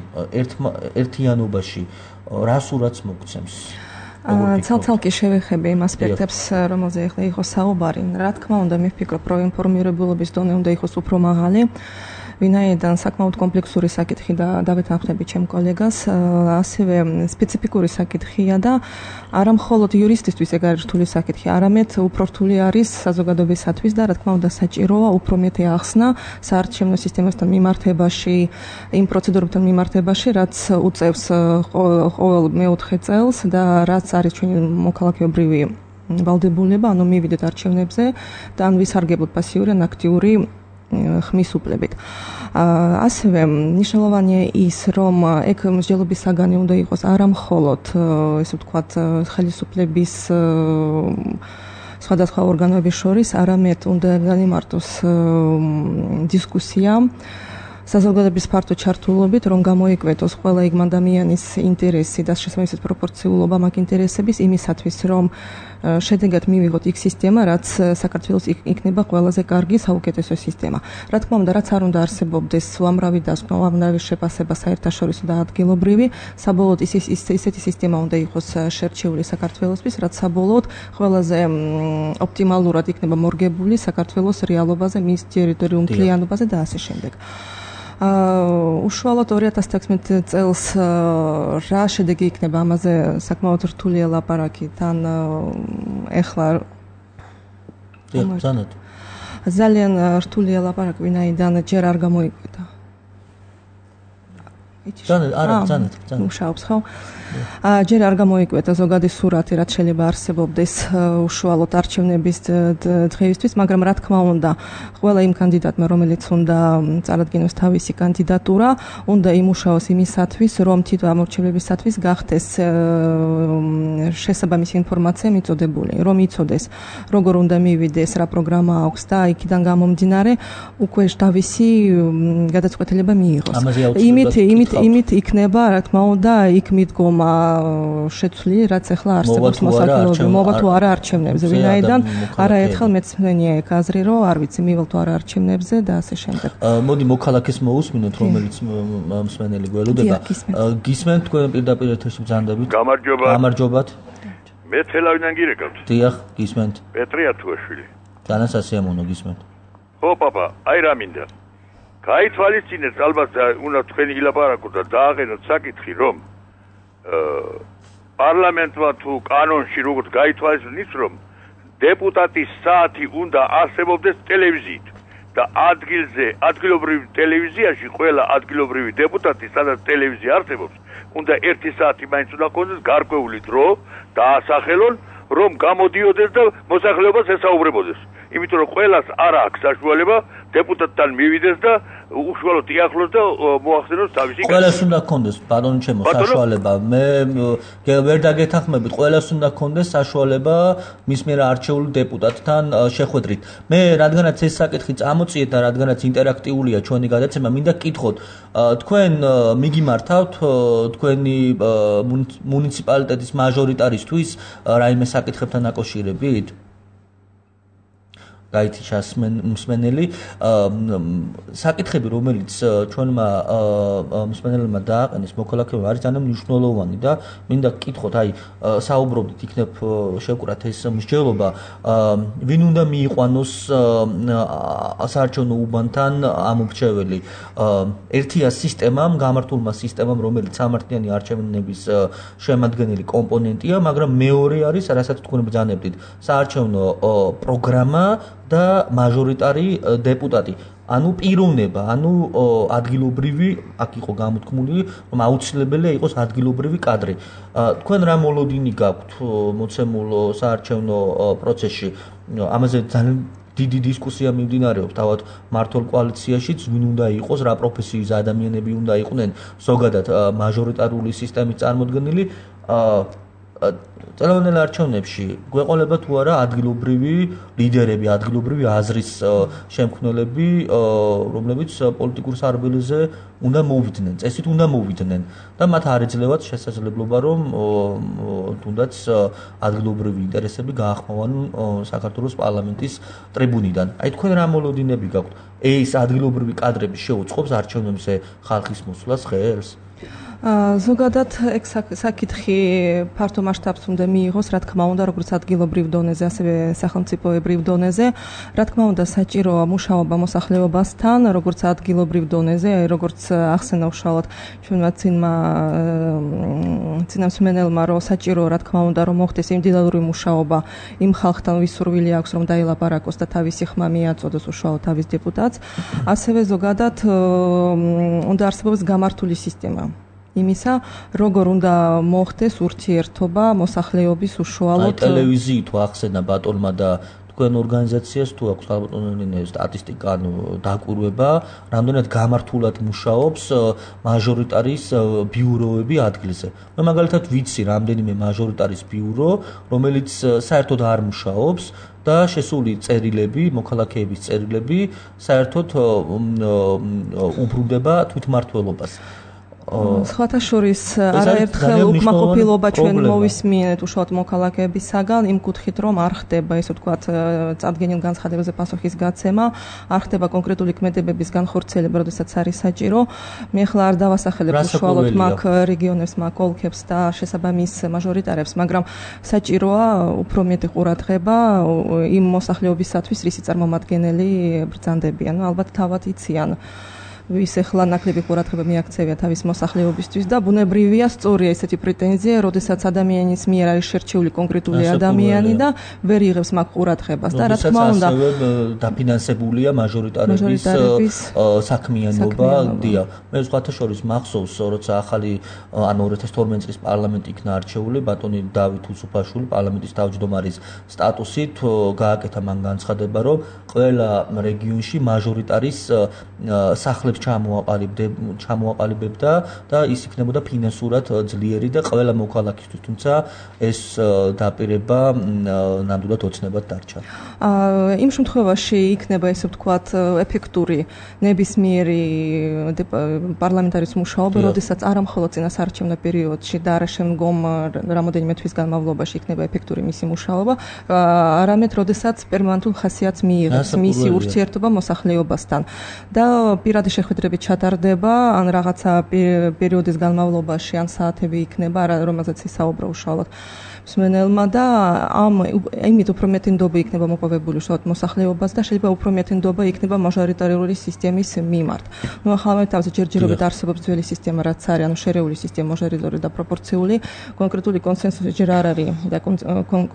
ერთიანობაში რა სურათს მოგცემს? ცალ-ცალკე შევეხები იმ ასპექტებს, რომელზე ახლა იყო საუბარი. რა თქმა უნდა, მე ვფიქრობ, რომ ინფორმირებულობის დონე უნდა იყოს უფრო მაღალი. ვინაიდან საკმაოდ კომპლექსური საკითხი და დავეთანხმები ჩემ კოლეგას, ასევე სპეციფიკური საკითხია და არა მხოლოდ იურისტისთვის ეგ არის რთული საკითხი, არამედ უფრო რთული არის საზოგადოებისათვის და რა თქმა უნდა საჭიროა უფრო მეტი ახსნა საარჩევნო სისტემასთან მიმართებაში, იმ პროცედურებთან მიმართებაში, რაც უწევს ყოველ მეოთხე წელს და რაც არის ჩვენი მოქალაქეობრივი ვალდებულება, ანუ მივიდეთ არჩევნებზე და ან ვისარგებლოთ პასიური ან აქტიური ხმის უფლებით. ასევე მნიშვნელოვანია ის, რომ ეგ მსჯელობის საგანი უნდა იყოს არა მხოლოდ, ესე ვთქვათ, ხელისუფლების სხვადასხვა ორგანოების შორის, არამედ უნდა განიმარტოს დისკუსია საზოგადოების ფართო ჩართულობით, რომ გამოიკვეთოს ყველა იქ ადამიანის ინტერესი და შესაბამისად პროპორციულობა მაგ ინტერესების იმისათვის, რომ შედეგად მივიღოთ იქ სისტემა, რაც საქართველოს იქნება ყველაზე კარგი საუკეთესო სისტემა. რა თქმა უნდა, რაც არ უნდა არსებობდეს უამრავი დასკვნა, უამრავი შეფასება საერთაშორისო და ადგილობრივი, საბოლოოდ ისეთი სისტემა უნდა იყოს შერჩეული საქართველოსთვის, რაც საბოლოოდ ყველაზე ოპტიმალურად იქნება მორგებული საქართველოს რეალობაზე, მის ტერიტორიულ მთლიანობაზე და ასე შემდეგ. უშუალოდ 2016 წელს რა შედეგი იქნება ამაზე საკმაოდ რთულია ლაპარაკი თან ეხლა ძალიან რთულია ლაპარაკი ვინაიდან ჯერ არ გამოიკვეთა მუშაობს ხო? ჯერ არ გამოიკვეთა ზოგადი სურათი, რაც შეიძლება არსებობდეს უშუალოდ არჩევნების დღეისთვის, მაგრამ რა თქმა უნდა, ყველა იმ კანდიდატმა, რომელიც უნდა წარადგინოს თავისი კანდიდატურა, უნდა იმუშაოს იმისათვის, რომ თითო ამორჩევლებისათვის გახდეს შესაბამისი ინფორმაცია მიწოდებული, რომ იცოდეს, როგორ უნდა მივიდეს, რა პროგრამა აქვს და იქიდან გამომდინარე უკვე თავისი გადაწყვეტილება მიიღოს. იმით იქნება, რა თქმა უნდა, იქ მიდგომა შეცვლილი, რაც ახლა არსებობს მოსახლეობაზე, მოვა თუ არა არჩევნებზე, ვინაიდან არაერთხელ მეცნენია ეგ აზრი, რომ არ ვიცი, მივალ თუ არა არჩევნებზე და ასე შემდეგ. მოდი მოქალაქეს მოусმინოთ, რომელიც მსმენელი გველოდება. გისმენთ თქვენ პირდაპირ ეთერში ბრძანდებით. გამარჯობათ. მე თელავიდან გირეკავთ. დიახ, გისმენთ. პეტრი ათუაშვილი. განასასიამოვნო გისმენთ. ხო, პაპა, აი რა მინდა. გაითვალისწინეთ ალბათ უნდა თქვენი ილაპარაკოთ და დააყენოთ საკითხი, რომ პარლამენტმა თუ კანონში როგორც გაითვალისწინეთ, რომ დეპუტატის საათი უნდა არსებობდეს ტელევიზიით და ადგილობრივ ტელევიზიაში ყველა ადგილობრივი დეპუტატი, სადაც ტელევიზია არსებობს, უნდა 1 საათი მაინც უნდა ქონდეს გარკვეული დრო დაასახელონ, რომ გამოდიოდეს და მოსახლეობას ესაუბრებოდეს. იმიტომ რომ ყველას არ აქვს საშუალება დეპუტატთან მივიდეს და უშუალოდ იახლოს და მოახსენოს თავისი. ყველას უნდა ქონდეს ბატონო ჩემო საშუალება. მე ვერ დაგეთანხმებით, ყველას უნდა ქონდეს საშუალება მის მიერ არჩეული დეპუტატთან შეხვედრით. მე რადგანაც ეს საკითხი წამოწიეთ და რადგანაც ინტერაქტიულია ჩვენი გადაცემა, მინდა გკითხოთ, თქვენ მიგიმართავთ თქვენი მუნიციპალიტეტის მაჟორიტარისთვის რაიმე საკითხებთან დაკავშირებით? გაითიშას მსმენელი საკითხები რომელიც ჩვენმა მსმენელებმა დააყენეს მოქალაქეებმა არის ძალიან მნიშვნელოვანი და მინდა გკითხოთ აი საუბრობდით იქნებ შევკრათ ეს მსჯელობა ვინ უნდა მიიყვანოს საარჩევნო უბანთან ამორჩეველი ერთია სისტემამ გამართულმა სისტემამ რომელიც სამართლიანი არჩევნების შემადგენელი კომპონენტია მაგრამ მეორე არის რასაც თქვენ ბრძანებდით საარჩევნო პროგრამა და მაჟორიტარი დეპუტატი. ანუ პიროვნება, ანუ ადგილობრივი, აქ იყო გამოთქმული, რომ აუცილებელია იყოს ადგილობრივი კადრი. თქვენ რა მოლოდინი გაქვთ მოცემულ საარჩევნო პროცესში? ამაზე ძალიან დიდი დისკუსია მიმდინარეობს თავად მართლ კოალიციაშიც, ვინ უნდა იყოს, რა პროფესიის ადამიანები უნდა იყვნენ ზოგადად მაჟორიტარული სისტემის წარმოდგენილი. წელოვნელ არჩევნებში გვეყოლება თუ არა ადგილობრივი ლიდერები, ადგილობრივი აზრის შემქმნელები, რომლებიც პოლიტიკურ სარბიელზე უნდა მოვიდნენ, წესით უნდა მოვიდნენ და მათ არ ეძლევათ შესაძლებლობა, რომ თუნდაც ადგილობრივი ინტერესები გაახმოვან საქართველოს პარლამენტის ტრიბუნიდან. აი თქვენ რა მოლოდინები გაქვთ? ეს ადგილობრივი კადრები შეუწყობს არჩევნებზე ხალხის მოსვლას ხელს? ზოგადად ეგ საკითხი ფართო მასშტაბს უნდა მიიღოს, რა თქმა უნდა, როგორც ადგილობრივ დონეზე, ასევე სახელმწიფოებრივ დონეზე. რა თქმა უნდა, საჭიროა მუშაობა მოსახლეობასთან, როგორც ადგილობრივ დონეზე, აი როგორც ახსენა უშუალოდ ჩვენმა წინამსმენელმა, რომ საჭიროა, რა თქმა უნდა, რომ მოხდეს ინდივიდუალური მუშაობა იმ ხალხთან, ვის სურვილი აქვს, რომ დაილაპარაკოს და თავისი ხმა მიაწოდოს უშუალოდ თავის დეპუტატს. ასევე ზოგადად უნდა არსებობს გამართული სისტემა. იმისა, როგორ უნდა მოხდეს ურთიერთობა მოსახლეობის უშუალოდ ტელევიზიით თუ ახსენა ბატონმა და თქვენ ორგანიზაციას თუ აქვს ალბათონელი სტატისტიკა დაკვირვება, რამდენად გამართულად მუშაობს მაჟორიტარის ბიუროები ადგილზე. მე მაგალითად ვიცი რამდენიმე მაჟორიტარის ბიურო, რომელიც საერთოდ არ მუშაობს და შესული წერილები, მოქალაქეების წერილები საერთოდ უბრუნდება თვითმმართველობას. სხვათა შორის არაერთხელ უკმაყოფილება ჩვენ მოვისმინეთ უშუალოდ მოქალაქეებისაგან იმ კუთხით რომ არ ხდება ესე ვთქვათ წარდგენილ განცხადებებზე პასუხის გაცემა, არ ხდება კონკრეტული ქმედებების განხორციელება, როდესაც არის საჭირო. მე ახლა არ დავასახელებ უშუალოდ მაგ რეგიონებს, მაგ ოლქებს და შესაბამის მაჟორიტარებს, მაგრამ საჭიროა უფრო მეტი ყურადღება იმ მოსახლეობისათვის, რისი წარმომადგენელი ბრძანდებიან. ალბათ თავად იციან ვის ახლა ნაკლები ყურადღება მიაქცევია თავის მოსახლეობისთვის და ბუნებრივია სწორია ესეთი პრეტენზია, როდესაც ადამიანის მიერ არის შერჩეული კონკრეტული ადამიანი და ვერ იღებს მაგ ყურადღებას და რა თქმა უნდა დაფინანსებულია მაჟორიტარების საქმიანობა. დიახ, მე სხვათა შორის მახსოვს, როცა ახალი 2012 წლის პარლამენტი იქნა არჩეული, ბატონი დავით უსუფაშვილი პარლამენტის თავმჯდომარის სტატუსით გააკეთა მან განცხადება, რომ ყველა რეგიონში მაჟორიტარის სახლებს ჩამოაყალიბებდა და ის იქნებოდა ფინანსურად ძლიერი და ყველა მოქალაქისთვის, თუმცა ეს დაპირება ნამდვილად ოცნებად დარჩა. იმ შემთხვევაში იქნება ესე ვთქვათ ეფექტური ნებისმიერი პარლამენტარის მუშაობა, როდესაც არა მხოლოდ წინასაარჩევნო პერიოდში და არა შემდგომ რამოდენიმე თვის განმავლობაში იქნება ეფექტური მისი მუშაობა, არამედ როდესაც პერმანენტულ ხასიათს მიიღებს მისი ურთიერთობა მოსახლეობასთან და პირადი შეხვედრები ჩატარდება, ან რაღაცა პერიოდის განმავლობაში, ან საათები იქნება, რომელზეც ისაუბრა უშუალოდ მსმენელმა და იმით უფრო მეტი ნდობა იქნება მოპოვებული უშუალოდ მოსახლეობას და შეიძლება უფრო მეტი ნდობა იქნება მაჟორიტარული სისტემის მიმართ. ნუ ახლა თავზე ჯერჯერობით არსებობს ძველი სისტემა, რაც არის, ანუ შერეული სისტემა, მაჟორიტარული და პროპორციული, კონკრეტული კონსენსუსი ჯერ არ არის და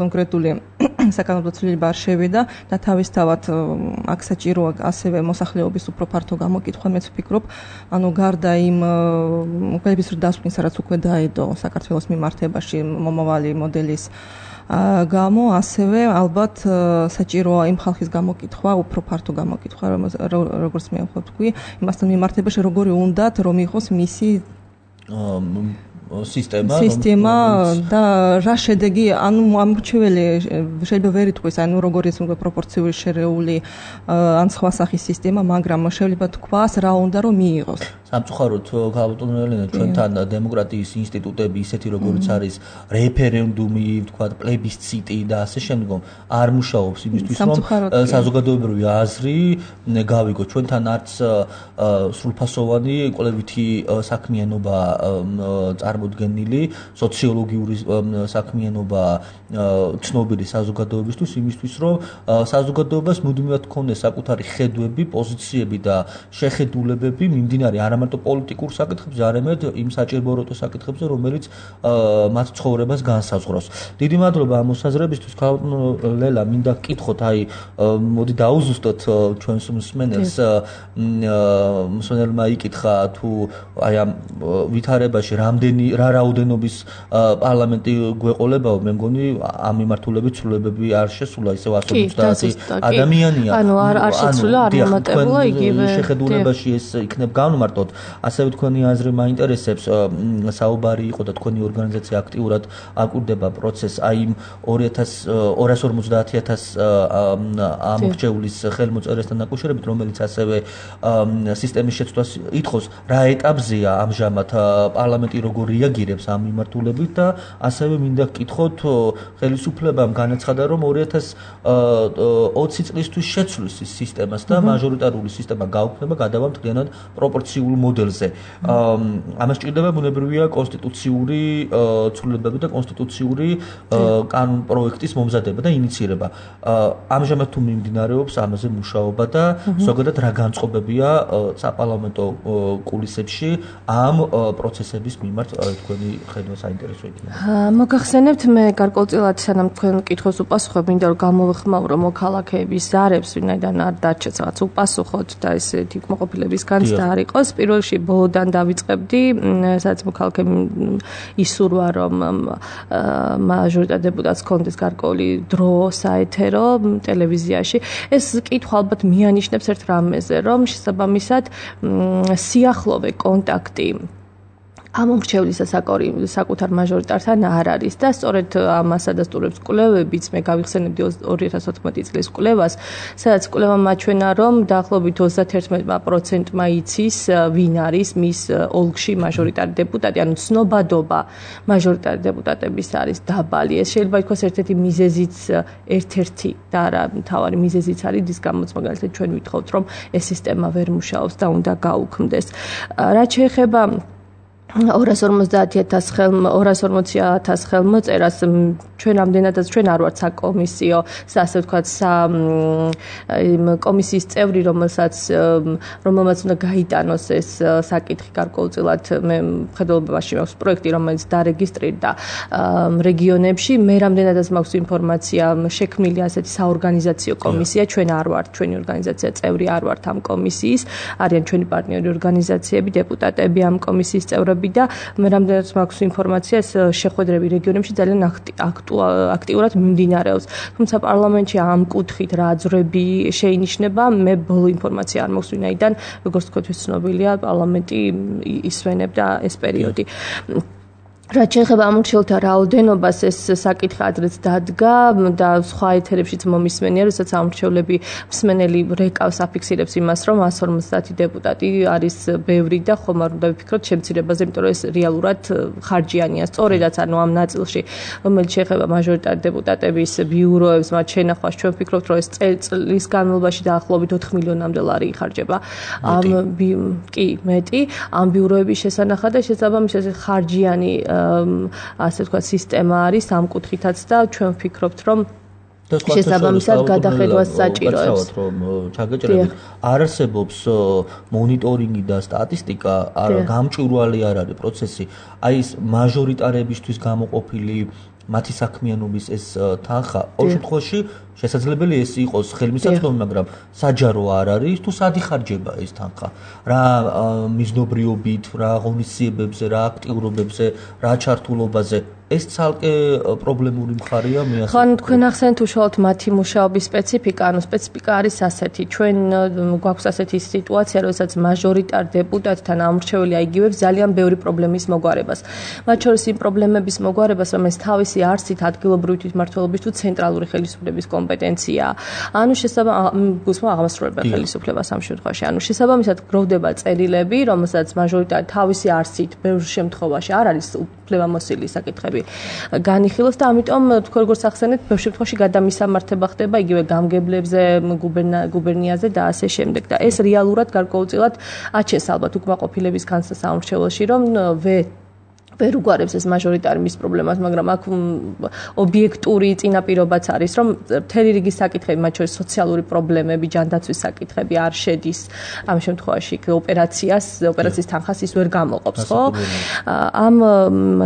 კონკრეტული საკანონმდებლო ცვლილება არ შევიდა და თავისთავად აქ საჭიროა ასევე მოსახლეობის უფრო ფართო გამოკითხვა, მეც ვფიქრობ, ანუ გარდა იმ ყველების დასკვნისა, რაც უკვე დაედო საქართველოს მიმართებაში მომავალი მოდელის გამო, ასევე ალბათ საჭიროა იმ ხალხის გამოკითხვა, უფრო ფართო გამოკითხვა, როგორც მე ვთქვი, იმასთან მიმართებაში როგორი უნდათ რომ იყოს მისი სისტემა და რა შედეგი, ანუ ამორჩეველი შეიძლება ვერ ითქვას, ანუ როგორ ის უნდა პროპორციული შერეული ან სხვა სახის სისტემა, მაგრამ შეიძლება თქვას რა უნდა რომ მიიღოს. სამწუხაროდ ქალბატონო ელენა, ჩვენთან დემოკრატიის ინსტიტუტები ისეთი როგორც არის რეფერენდუმი, თქვა პლებისციტი და ასე შემდგომ არ მუშაობს იმისთვის, რომ საზოგადოებრივი აზრი გავიგო. ჩვენთან არც სრულფასოვანი კვლევითი საქმიანობა წარმოდგენილი, სოციოლოგიური საქმიანობა ცნობილი საზოგადოებისთვის, იმისთვის, რომ საზოგადოებას მუდმივად ქონდეს საკუთარი ხედვები, პოზიციები და შეხედულებები მიმდინარე არამარტო პოლიტიკურ საკითხებზე, არამედ იმ საჭიროებო საკითხებზე, რომელიც მათ ცხოვრებას განსაზღვრავს. დიდი მადლობა ამ მოსაზრებისთვის, ქალბატონო ლელა, მინდა გკითხოთ, მოდი დაუზუსტოთ ჩვენს მსმენელს, მსმენელმა იკითხა თუ აი ამ ვითარებაში რა რაოდენობის პარლამენტი გვეყოლებაო, მე მგონი ამ მიმართულებით ცვლილებები არ შესულა, ისევ 150 ადამიანია. ანუ არ შესულა, არ მომატებულა იგივე შეხედულებაში ეს იქნებ განმარტოთ. ასევე თქვენი აზრი მაინტერესებს, საუბარი იყო და თქვენი ორგანიზაცია აქტიურად აკვირდება პროცესს აი იმ 250,000 ამორჩეულის ხელმოწერესთან დაკავშირებით, რომელიც ასევე სისტემის შეცვლას ითხოვს, რა ეტაპზეა ამჟამად პარლამენტი როგორ რეაგირებს ამ მიმართულებით და ასევე მინდა გკითხოთ, ხელისუფლებამ განაცხადა, რომ 2020 წლისთვის შეცვლის ის სისტემას და მაჟორიტარული სისტემა გაუქმდება, გადავა მთლიანად პროპორციულ მოდელზე. ამას ჭირდება ბუნებრივია კონსტიტუციური ცვლილებები და კონსტიტუციური კანონპროექტის მომზადება და ინიცირება. ამჟამად თუ მიმდინარეობს ამაზე მუშაობა და ზოგადად რა განწყობებია საპარლამენტო კულისებში ამ პროცესების მიმართ თქვენი ხედვა საინტერესო იქნება. მოგახსენებთ, მე გარკვეულწილად სანამ თქვენ კითხოს უპასუხებ, მინდა რომ გამოვიხმაურო მოქალაქეების ზარებს, ვინაიდან არ დარჩეთ რაღაც უპასუხოთ და ესეთი უკმაყოფილების განცდა არ იყოს. პირველ რიგში ბოლოდან დავიწყებდი, სადაც მოქალაქემ ისურვა, რომ მაჟორიტარ დეპუტატს ჰქონდეს გარკვეული დრო საეთერო ტელევიზიაში. ეს კითხვა ალბათ მიანიშნებს ერთ რამეზე, რომ შესაბამისად სიახლოვე კონტაქტი ამორჩევლისა საკუთარ მაჟორიტართან არ არის და სწორედ ამას ადასტურებს კვლევებიც. მე გავიხსენებდი 2014 წლის კვლევას, სადაც კვლევა მაჩვენა, რომ დაახლოებით 31%-მა იცის ვინ არის მის ოლქში მაჟორიტარი დეპუტატი, ანუ ცნობადობა მაჟორიტარი დეპუტატების არის დაბალი. ეს შეიძლება ითქვას ერთ-ერთი მიზეზიც, ერთ-ერთი და არა მთავარი მიზეზიც არის, რის გამოც მაგალითად ჩვენ ვითხოვთ, რომ ეს სისტემა ვერ მუშაობს და უნდა გაუქმდეს. რაც შეეხება 250,000 ხელმოწერას, ჩვენ ამდენადაც ჩვენ არ ვართ საკომისიო, ასე ვთქვათ, კომისიის წევრი, რომელმაც უნდა გაიტანოს ეს საკითხი გარკვეულწილად. მე მხედველობაში მაქვს პროექტი, რომელიც დარეგისტრირდა რეგიონებში. მე რამდენადაც მაქვს ინფორმაცია, შექმნილი ასეთი საორგანიზაციო კომისია, ჩვენ არ ვართ, ჩვენი ორგანიზაცია წევრი არ ვართ ამ კომისიის, არიან ჩვენი პარტნიორი ორგანიზაციები, დეპუტატები ამ კომისიის წევრები და მე რამდენადაც მაქვს ინფორმაცია, ეს შეხვედრები რეგიონებში ძალიან აქტიურად მიმდინარეობს. თუმცა პარლამენტში ამ კუთხით რა აზრები შეინიშნება, მე ბოლო ინფორმაცია არ მაქვს, ვინაიდან როგორც თქვით, ცნობილია, პარლამენტი ისვენებდა ეს პერიოდი. რაც შეეხება ამორჩეულთა რაოდენობას, ეს საკითხი ადრეც დადგა და სხვა ეთერებშიც მომისმენია, როდესაც ამორჩეულები მსმენელი რეკავს აფიქსირებს იმას, რომ 150 დეპუტატი არის ბევრი და ხომ არ უნდა ვიფიქროთ შემცირებაზე, იმიტომ რომ ეს რეალურად ხარჯიანია. სწორედაც ანუ ამ ნაწილში, რომელიც შეეხება მაჟორიტარ დეპუტატების ბიუროებს, მათ შენახვას, ჩვენ ვფიქრობთ, რომ ეს წლის განმავლობაში დაახლოებით 4 მილიონამდე ლარი იხარჯება. კი, მეტი ამ ბიუროების შესანახად და შესაბამისად ხარჯიანი ასე ვთქვათ, სისტემა არის ამ კუთხითაც და ჩვენ ვფიქრობთ, რომ შესაბამისად გადახედვას საჭიროებს. რომ ჩაგეჭრებით არ არსებობს მონიტორინგი და სტატისტიკა, გამჭვირვალე არ არის პროცესი. აი ეს მაჟორიტარებისთვის გამოყოფილი მათი საქმიანობის ეს თანხა ყოველ შემთხვევაში შესაძლებელი ეს იყოს ხელმისაწვდომი, მაგრამ საჯარო არ არის თუ სად იხარჯება ეს თანხა. რა მიზნობრიობით, რა ღონისძიებებზე, რა აქტიურობებზე, რა ჩართულობაზე ეს ცალკე პრობლემური მხარეა მიასწრებს. ხო, თქვენ ახსენეთ უშუალოდ მათი მუშაობის სპეციფიკა, სპეციფიკა არის ასეთი. ჩვენ გვაქვს ასეთი სიტუაცია, როდესაც მაჟორიტარ დეპუტატთან ამორჩეულია იგივებს ძალიან ბევრი პრობლემის მოგვარებას. მათ შორის იმ პრობლემების მოგვარებას, რომელიც თავისი არსით ადგილობრივი თვითმმართველობის თუ ცენტრალური ხელისუფლების კომპეტენციაა. ანუ აღმასრულებელი ხელისუფლება ამ შემთხვევაში. ანუ შესაბამისად გროვდება წერილები, რომელსაც მაჟორიტარი თავისი არსით ბევრ შემთხვევაში არ არის უფლებამოსილი საკითხები განიხილოს და ამიტომ თქვენ როგორც ახსენეთ, ბევრ შემთხვევაში გადამისამართება ხდება იგივე გამგებლებზე, გუბერნიაზე და ასე შემდეგ. და ეს რეალურად გარკვეულწილად აჩენს ალბათ უკმაყოფილების განცდას საამორჩეველოში, რომ ვერ უგვარებს ეს მაჟორიტარი მის პრობლემას, მაგრამ აქ ობიექტური წინაპირობაც არის, რომ მთელი რიგი საკითხები, მათ შორის სოციალური პრობლემები, ჯანდაცვის საკითხები არ შედის ამ შემთხვევაში ოპერაციის თანხას ის ვერ გამოყოფს, ხო? ამ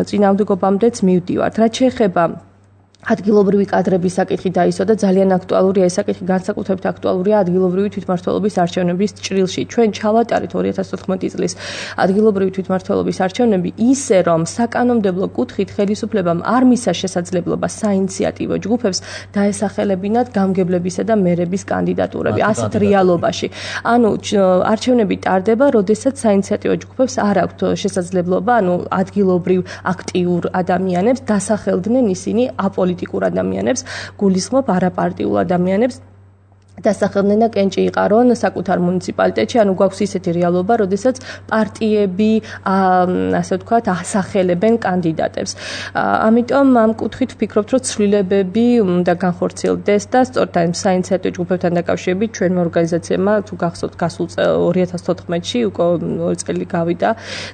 წინააღმდეგობამდეც მივდივართ. რაც შეეხება ადგილობრივი კადრების საკითხი დაისვა და ძალიან აქტუალურია ეს საკითხი, განსაკუთრებით აქტუალურია ადგილობრივი თვითმმართველობის არჩევნების ჭრილში. ჩვენ ჩავატარეთ 2014 წლის ადგილობრივი თვითმმართველობის არჩევნები ისე, რომ საკანონმდებლო კუთხით ხელისუფლებამ არ მისცა შესაძლებლობა საინიციატივო ჯგუფებს დაესახელებინათ გამგებლებისა და მერების კანდიდატურები ასეთ რეალობაში. ანუ არჩევნები ტარდება, როდესაც საინიციატივო ჯგუფებს არ აქვთ შესაძლებლობა, ადგილობრივ აქტიურ ადამიანებს დასახელდნენ ისინი აპოლიტიკურ ადამიანებს, გულისხმობ არაპარტიულ ადამიანებს დასახელდნენ და კენჭი იყარონ საკუთარ მუნიციპალიტეტში, ანუ გვაქვს ისეთი რეალობა, როდესაც პარტიები, ასე ვთქვათ, ასახელებენ კანდიდატებს. ამიტომ ამ კუთხით ვფიქრობთ, რომ ცვლილებები უნდა განხორციელდეს და სწორედ ამ საინიციატივო ჯგუფებთან დაკავშირებით ჩვენმა ორგანიზაციებმა, თუ გახსოვთ, გასულ 2014-ში უკვე 2 წელი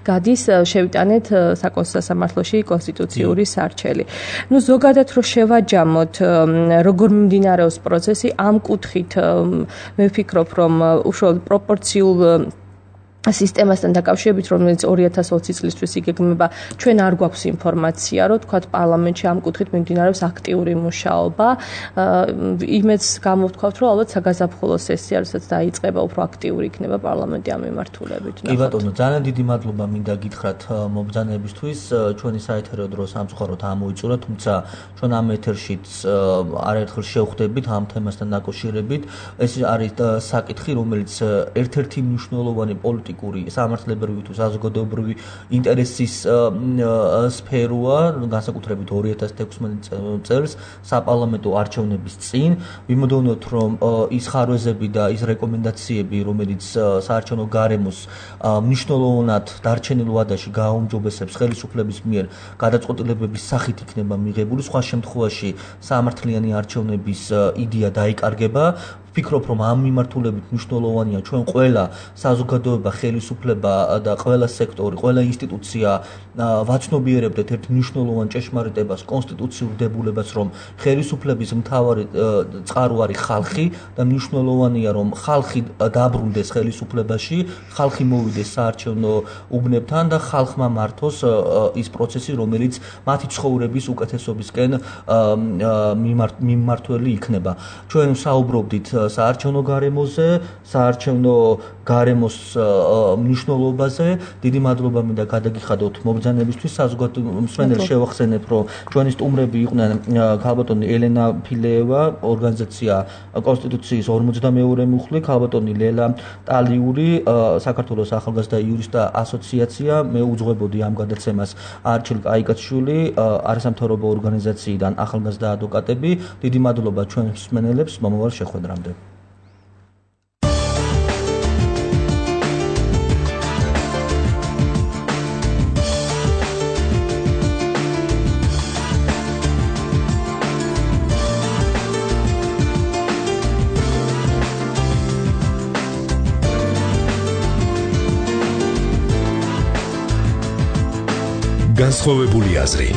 გადის, შევიტანეთ საკონსტიტუციო სამართლოში კონსტიტუციური სარჩელი. ზოგადად რო შევაჯამოთ, როგორ მიმდინარეობს პროცესი ამ კუთხით მე ვფიქრობ, რომ უშუალოდ პროპორციულ სისტემასთან დაკავშირებით, რომელიც 2020 წლისთვის იგეგმება, ჩვენ არ გვაქვს ინფორმაცია, რომ თქვათ პარლამენტში ამ კუთხით მიმდინარეობს აქტიური მუშაობა. იმედს გამოვთქვათ, რომ ალბათ საგაზაფხულო სესია, როდესაც დაიწყება, უფრო აქტიური იქნება პარლამენტი ამ მიმართულებით. კი ბატონო, ძალიან დიდი მადლობა მინდა გითხრათ მობრძანებისთვის. ჩვენი საეთერო დრო სამწუხაროდ ამოიწურა, თუმცა ჩვენ ამ ეთერშიც არაერთხელ შევხვდებით ამ თემასთან დაკავშირებით. ეს არის საკითხი, რომელიც ერთ-ერთი მნიშვნელოვანი სამართლებრივი თუ საზოგადოებრივი ინტერესის სფეროა, განსაკუთრებით 2016 წელს საპარლამენტო არჩევნების წინ. ვიმოდოვნოთ, რომ ის ხარვეზები და ის რეკომენდაციები, რომელიც საარჩევნო გარემოს მნიშვნელოვნად დარჩენილ ვადაში გააუმჯობესებს ხელისუფლების მიერ გადაწყვეტილებების სახით იქნება მიღებული, სხვა შემთხვევაში სამართლიანი არჩევნების იდეა დაიკარგება. ვფიქრობ, რომ ამ მიმართულებით მნიშვნელოვანია ჩვენ ყველა საზოგადოება, ხელისუფლება და ყველა სექტორი, ყველა ინსტიტუცია ვაცნობიერებდეთ ერთ მნიშვნელოვან ჭეშმარიტებას, კონსტიტუციურ დებულებას, რომ ხელისუფლების მთავარი წყარო არის ხალხი და მნიშვნელოვანია, რომ ხალხი დაბრუნდეს ხელისუფლებაში, ხალხი მოვიდეს საარჩევნო უბნებთან და ხალხმა მართოს ის პროცესი, რომელიც მათი ცხოვრების უკეთესობისკენ მიმმართველი იქნება. ჩვენ საუბრობდით საარჩევნო გარემოზე, საარჩევნო გარემოს მნიშვნელობაზე. დიდი მადლობა მინდა გადაგიხადოთ მობრძანებისთვის. საზოგადოებრივ მსმენელს შევახსენებ, რომ ჩვენი სტუმრები იყვნენ ქალბატონი ელენა ფილეევა, ორგანიზაცია კონსტიტუციის 52 მუხლი, ქალბატონი ლელა ტალიური, საქართველოს ახალგაზრდა იურისტთა ასოციაცია. მე უძღვებოდი ამ გადაცემას არჩილ კაიკაშვილი, არასამთავრობო ორგანიზაციიდან ახალგაზრდა ადვოკატები. დიდი მადლობა ჩვენ მსმენელებს მომავალ შეხვედრამდე. განსხვავებული აზრი.